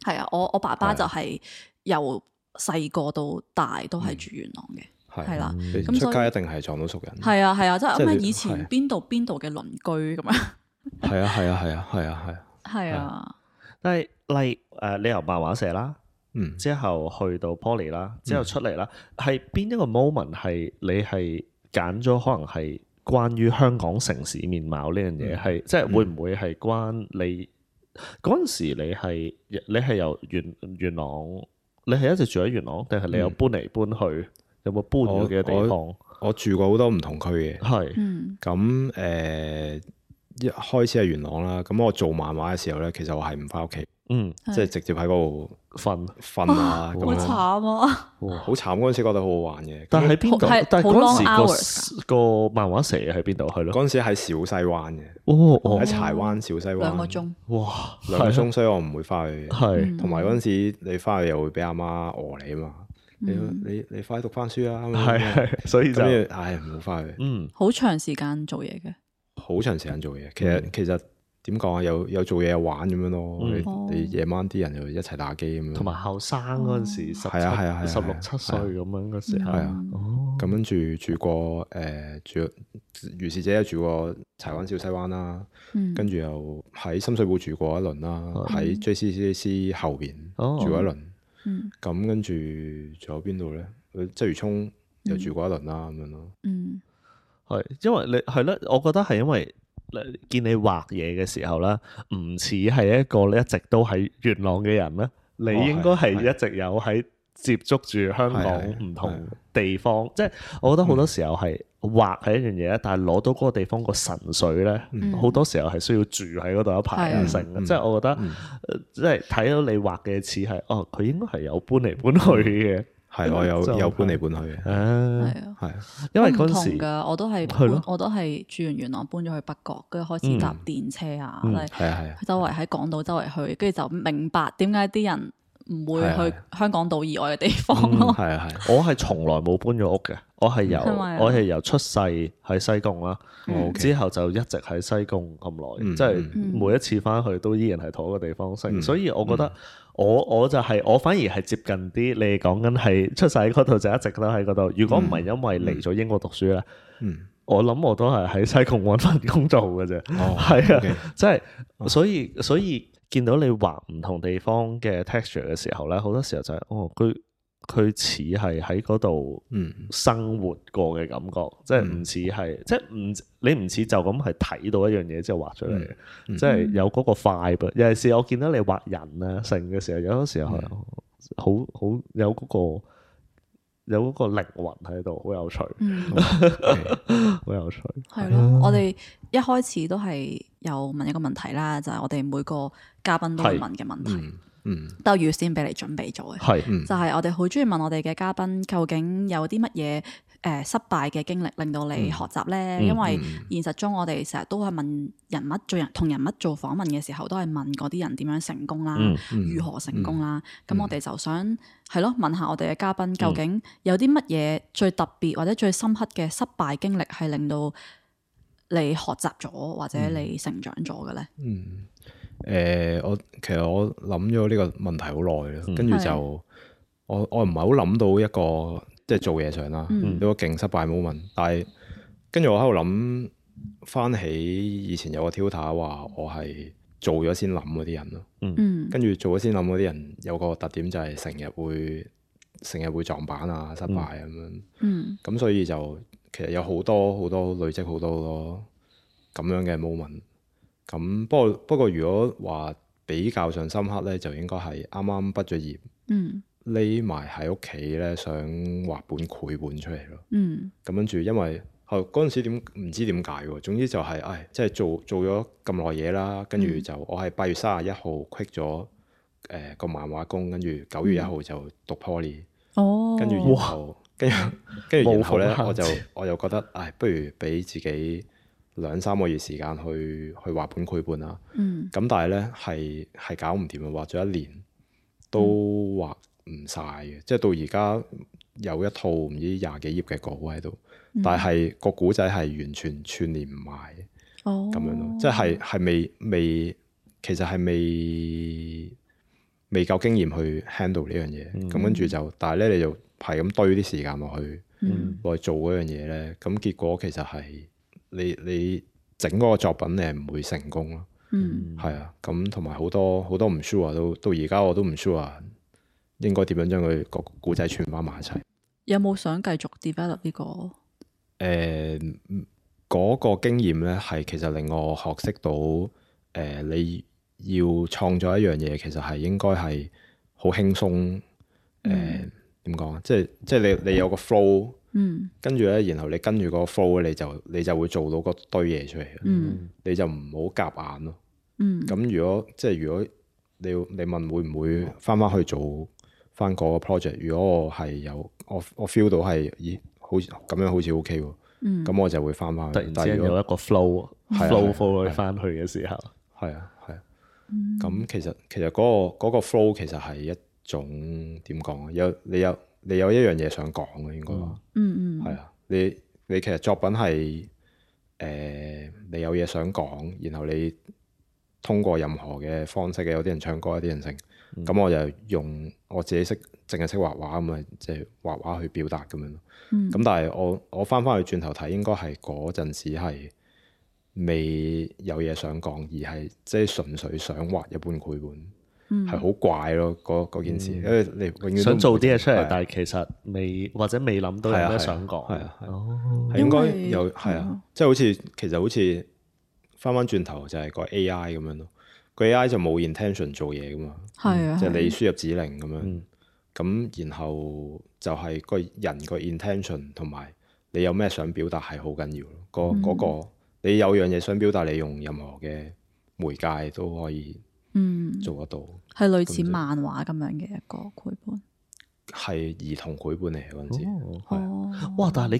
係啊，我爸爸就係由細個到大都係住元朗嘅，係啦。咁出街一定係撞到熟人。係啊，即係咁以前邊度嘅鄰居咁樣。係啊，但係例如你由漫畫社啦，之後去到 Poly 啦，之後出嚟啦，係邊一個 moment 係你係揀咗可能係關於香港城市面貌呢樣嘢，係即係會唔會係關你嗰陣時你係由元朗，你係一直住喺元朗，定係你有搬嚟搬去，有冇搬咗嘅地方？我住過好多唔同區嘅，係咁一開始係元朗啦，咁我做漫畫嘅時候咧，其實我係唔翻屋企，即係直接喺嗰度瞓啊，咁樣好慘啊！好慘，嗰陣時覺得好好玩嘅。但係喺邊度？但係嗰陣時個漫畫社喺邊度？係咯，嗰陣時喺小西灣嘅，喺柴灣小西灣2個鐘，哇，2個鐘，所以我唔會翻去。係，同埋嗰陣時你翻去又會俾阿媽餓你啊嘛，你快啲讀翻書啦，係，所以就唔好翻去。好長時間做嘢嘅。好長時間做嘢，其實點講啊？有做嘢有玩咁樣咯。你夜晚啲人又一齊打機咁樣。同埋後生嗰陣時，16、17歲咁樣嗰時候。係啊。咁跟住住過如是者住過柴灣小西灣啦，跟住又喺深水埗住過一輪啦，喺 JCCC 後邊住過一輪。咁跟住仲有邊度咧？鰂魚涌又住過一輪啦，咁樣咯。係，因為你係咧，我覺得係因為見你畫嘢嘅時候咧，唔似係一個你一直都喺元朗嘅人咧，你應該係一直有喺接觸住香港唔同地方，即係我覺得好多時候係畫係一樣嘢，但係攞到嗰個地方個神髓咧，好多時候係需要住喺嗰度一排啊成嘅，即係我覺得即係睇到你畫嘅似係佢應該係有搬嚟搬去嘅。係，我有搬嚟搬去嘅。係因為嗰陣時我都係住完元朗搬咗去北角，跟住開始搭電車啊，周圍喺港島周圍去，跟住就明白點解啲人唔會去香港島以外嘅地方咯。我係從來冇搬咗屋嘅，我係由出世喺西貢啦，之後就一直喺西貢咁耐，即係每一次翻去都依然係同一個地方升，所以我覺得。我就係我反而係接近啲，你講緊係出世喺嗰度就一直都喺嗰度。如果唔係因為嚟咗英國讀書咧，我諗我都係喺西貢揾份工做嘅啫。係啊，即係所以見到你畫唔同地方嘅 texture 嘅時候咧，好多時候就係佢似係喺嗰度生活過嘅感覺，即係唔似係即係你唔似就咁係睇到一樣嘢之後畫出嚟嘅，即係有嗰個 vibe。尤其是我見到你畫人啊成嘅時候，有啲時候好有嗰個靈魂喺度，好有趣，好有趣。係咯，我哋一開始都係有問一個問題啦，就係我哋每個嘉賓都會問嘅問題，都預先俾你準備咗嘅，就係我哋好中意問我哋嘅嘉賓究竟有啲乜嘢失敗嘅經歷令到你學習咧？因為現實中我哋成日都係問同人物做訪問嘅時候，都係問嗰啲人點樣成功啦，如何成功啦。咁我哋就想係咯，問下我哋嘅嘉賓究竟有啲乜嘢最特別或者最深刻嘅失敗經歷係令到你學習咗或者你成長咗嘅咧？其實我諗咗呢個問題好耐啦，跟住就我唔係好諗到一個即係做嘢上啦，一個勁失敗 moment。但係跟住我喺度諗翻起以前有個 tutor 話我係做咗先諗嗰啲人咯，跟住做咗先諗嗰啲人有個特點就係成日會撞板啊、失敗咁樣，咁所以就其實有好多累積好多咁樣嘅 moment。咁不過如果話比較上深刻咧，就應該係啱啱畢咗業，匿埋喺屋企咧，想畫本繪本出嚟咯。咁跟住因為嗰陣時唔知點解喎，總之就係即係做咗咁耐嘢啦，跟住就我係8月31號 quit 咗個漫畫工，跟住9月1號就讀 Poly，跟住然後咧我就覺得不如俾自己2-3個月時間去畫本繪本啦。咁但係咧係搞唔掂啊，畫咗1年都畫唔晒嘅，即係到而家有一套唔知20幾頁嘅稿喺度，但係個古仔係完全串聯唔埋咁樣咯，即係其實係未夠經驗去 handle 呢樣嘢，咁跟住就，但係咧你就係咁堆啲時間落去做嗰樣嘢咧，咁結果其實係你整嗰個作品你係唔會成功咯，係啊，咁同埋好多唔 sure 到而家我都唔 sure 應該點樣將佢個故仔串翻埋一齊。有冇想繼續 develop 呢個？嗰個經驗咧係其實令我學識到你要創作一樣嘢，其實係應該係好輕鬆。點講啊？即係你有個 flow，跟住咧，然後你跟住嗰個 flow 你就會做到嗰堆嘢出嚟。你就唔好夾硬咯。咁如果你問會唔會翻去做翻嗰個 project？如果我係有我 feel 到係好似咁樣好似 OK 喎，咁我就會翻去。突然之間有一個 flow 翻去嘅時候，係啊。咁其實嗰個 flow 其實係一種點講啊？你有一樣嘢想講嘅應該話，係啊。你其實作品係你有嘢想講，然後你通過任何嘅方式嘅，有啲人唱歌，有啲人唱。咁我就用我自己淨係識畫畫咁咪即係畫畫去表達咁樣咯。咁但係我翻去轉頭睇，應該係嗰陣時係未有嘢想講，而係即係純粹想畫一本繪本，係好怪咯嗰件事，因為你永遠想做啲嘢出嚟，但係其實未諗到有咩想講。係應該有即係其實好似翻轉頭就係個 AI 咁樣咯。個 AI 就冇 intention 做嘢噶嘛，即係你輸入指令咁樣，咁然後就係個人個 intention 同埋你有咩想表達係好緊要咯。嗰個你有樣嘢想表達，你用任何嘅媒介都可以做得到。係類似漫畫咁樣嘅一個繪本，係兒童繪本嚟嗰陣時。哇！但係你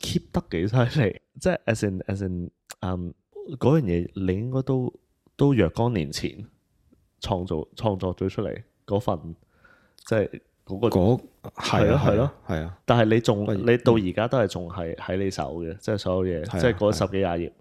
keep 得幾犀利，即係 as in 嗰樣嘢，你應該都若干年前創作咗出嚟嗰份，即係嗰個係咯。但係你到而家都係仲係喺你手嘅，即係所有嘢，即係嗰10幾廿頁。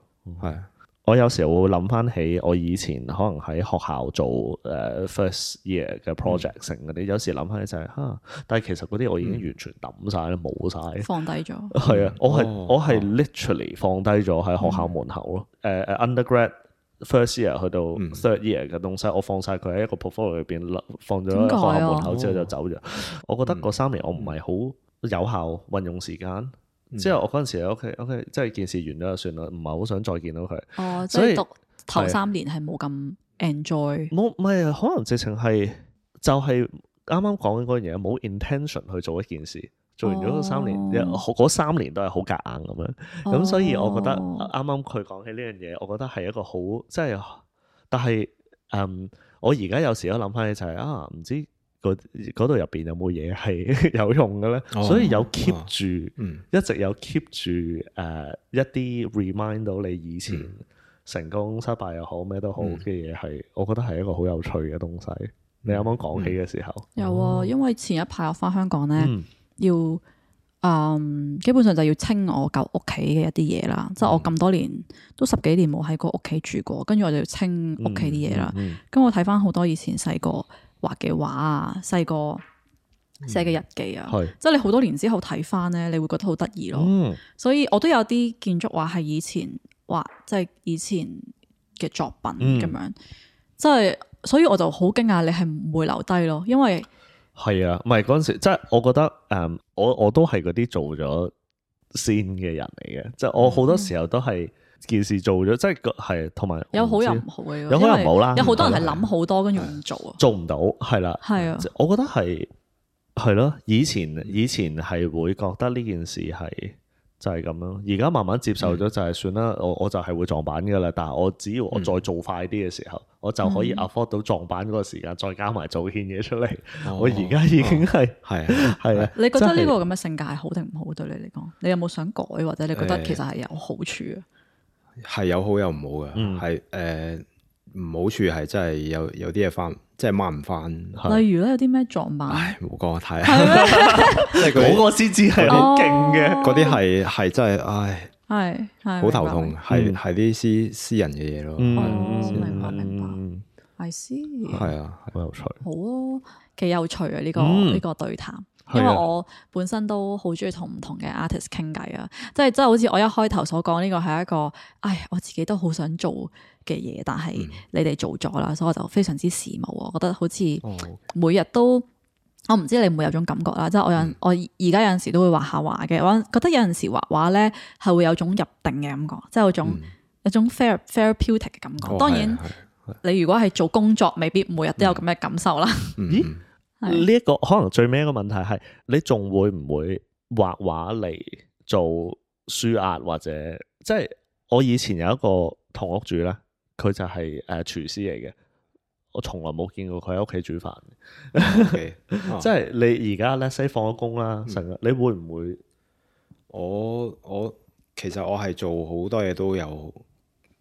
係。我有時候會諗翻起我以前可能喺學校做first year 嘅 project 成嗰啲，有時諗翻起就係但係其實嗰啲我已經完全抌晒啦，冇晒，放低咗。係啊，我係 literally 放低咗喺學校門口咯。undergrad first year 去到 third year 嘅東西，我放晒佢喺一個 portfolio 裏邊，放咗喺學校門口之後就走咗。我覺得嗰3年我唔係好有效運用時間。之後我嗰陣時 OK， 即係件事完咗就算啦，唔係好想再見到佢。所以讀頭3年係冇咁 enjoy。冇，唔係可能直情係就係啱啱講緊嗰樣嘢，冇 intention 去做一件事，做完咗嗰3年都係好夾硬咁樣。咁所以我覺得啱啱佢講起呢樣嘢，我覺得係一個好即係，但係我而家有時都諗翻起就係唔知嗰度入邊有冇嘢係有用嘅咧，所以有 keep 住，一直有 keep 住一啲 remind 到你以前成功失敗又好咩都好嘅嘢，係我覺得係一個好有趣嘅東西。你啱啱講起嘅時候，有啊，因為前一排我翻香港咧，要基本上就要清我舊屋企嘅一啲嘢啦，即係我咁多年都10幾年冇喺個屋企住過，跟住我就要清屋企啲嘢啦。咁我睇翻好多以前細個畫嘅畫啊，細個寫嘅日記啊，即係你好多年之後睇翻咧，你會覺得好得意咯。所以我都有啲建築畫係以前畫，即係以前嘅作品咁樣，即係所以我就好驚訝你係唔會留低咯，因為係啊，唔係嗰陣時，即係我覺得我都係嗰啲做咗先嘅人嚟嘅，即係我好多時候都係件事做咗，即係同埋有好有唔好嘅，有好有唔好啦。有好多人係諗好多跟住唔做啊，做唔到係啦，係啊，我覺得係咯，以前係會覺得呢件事係就係咁咯，而家慢慢接受咗就係算啦，我就係會撞板噶啦，但係我只要我再做快啲嘅時候，我就可以 afford 到撞板嗰個時間，再加埋做件嘢出嚟。我而家已經係啊。你覺得呢個咁嘅性格係好定唔好對你嚟講？你有冇想改，或者你覺得其實係有好處啊？係有好有唔好嘅，係唔好處係真係有啲嘢翻，即係掹唔翻。例如咧，有啲咩撞板？冇講我睇，即係嗰個先至係好勁嘅。嗰啲係真係，係好頭痛，係啲私人嘅嘢咯。明白。I see。係啊，好有趣。好啊，幾有趣啊！呢個對談。因為我本身都好中意同唔同嘅 artist 傾偈啊，即係好似我一開頭所講，呢個係一個，我自己都好想做嘅嘢，但係你哋做咗啦，所以我就非常之羨慕。我覺得好似每日都，我唔知你會唔會有種感覺啦，即係我而家有陣時都會畫下畫嘅，我覺得有陣時畫畫咧係會有種入定嘅感覺，即係有種 therapeutic 嘅感覺。當然，你如果係做工作，未必每日都有咁嘅感受啦。呢一個可能最尾一個問題係，你仲會唔會畫畫嚟做舒壓，或者即係我以前有一個同屋主咧，佢就係廚師嚟嘅，我從來冇見過佢喺屋企煮飯。即係你而家咧，西放咗工啦，成日你會唔會？我其實我係做好多嘢都有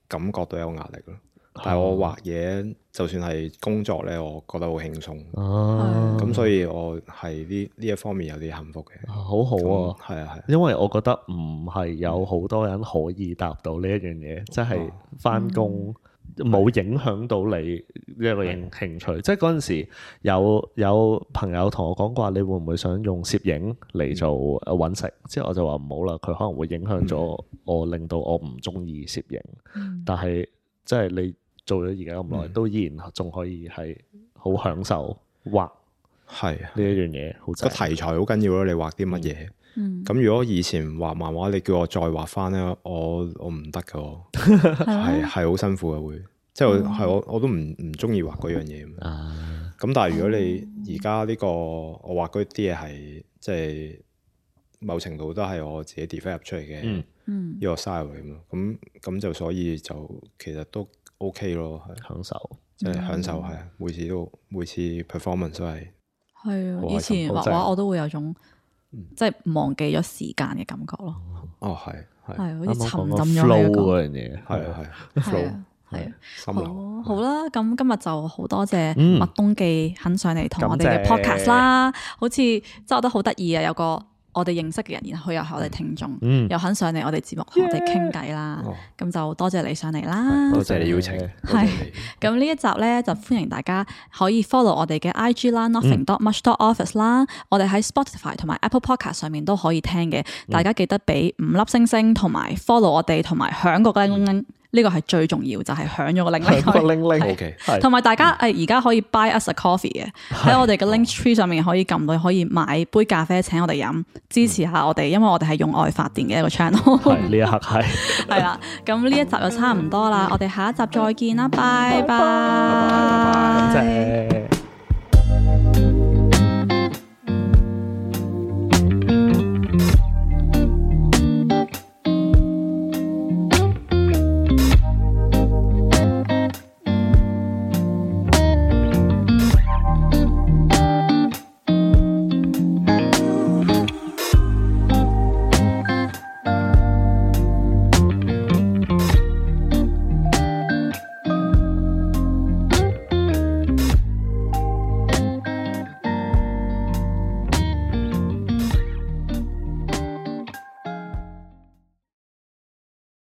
感覺到有壓力咯。但係我畫嘢，就算係工作咧，我覺得好輕鬆。咁所以我係呢一方面有啲幸福嘅。好好啊，係，因為我覺得唔係有好多人可以答到呢一樣嘢，即係返工冇影響到你呢一個興趣。即係嗰陣時有朋友同我講過，你會唔會想用攝影嚟做揾食？之後我就話唔好啦，佢可能會影響咗我，令到我唔中意攝影。但係即係你做咗而家咁耐，都依然仲可以係好享受畫，係呢一樣嘢。個題材好緊要咯，你畫啲乜嘢？咁如果以前畫漫畫，你叫我再畫翻咧，我唔得噶，係好辛苦嘅會，即係我都唔中意畫嗰樣嘢。咁但係如果你而家呢個我畫嗰啲嘢係即係某程度都係我自己 develop 出嚟嘅呢個 style 嚟嘛，咁就所以就其實都 OK 咯，係享受，即係享受係每次 performance 都係啊，以前畫畫我都會有種即係忘記咗時間嘅感覺咯。係好似沉浸咗喺嗰樣嘢，係啊，好啦，咁今日就好多謝麥東記肯上嚟同我哋嘅 podcast 啦，好似即係我覺得好得意啊，有個我哋認識嘅人，然後佢又係我哋聽眾，又肯上嚟我哋節目同我哋傾偈啦，咁就多謝你上嚟啦，多謝你邀請。係咁呢一集咧，就歡迎大家可以 follow 我哋嘅 IG 啦，nothing.much.office 啦，我哋喺 Spotify 同埋 Apple Podcast 上面都可以聽嘅，大家記得俾5粒星星，同埋 follow 我哋，同埋響個鈴鈴。呢個係最重要，就係響咗個鈴鈴。OK，同埋大家而家可以 buy us a coffee 嘅，喺我哋嘅 link tree 上面可以撳到，可以買杯咖啡請我哋飲，支持下我哋，因為我哋係用愛發電嘅一個 channel。係呢一刻係啦，咁呢一集就差唔多啦，我哋下一集再見啦，拜拜。拜拜。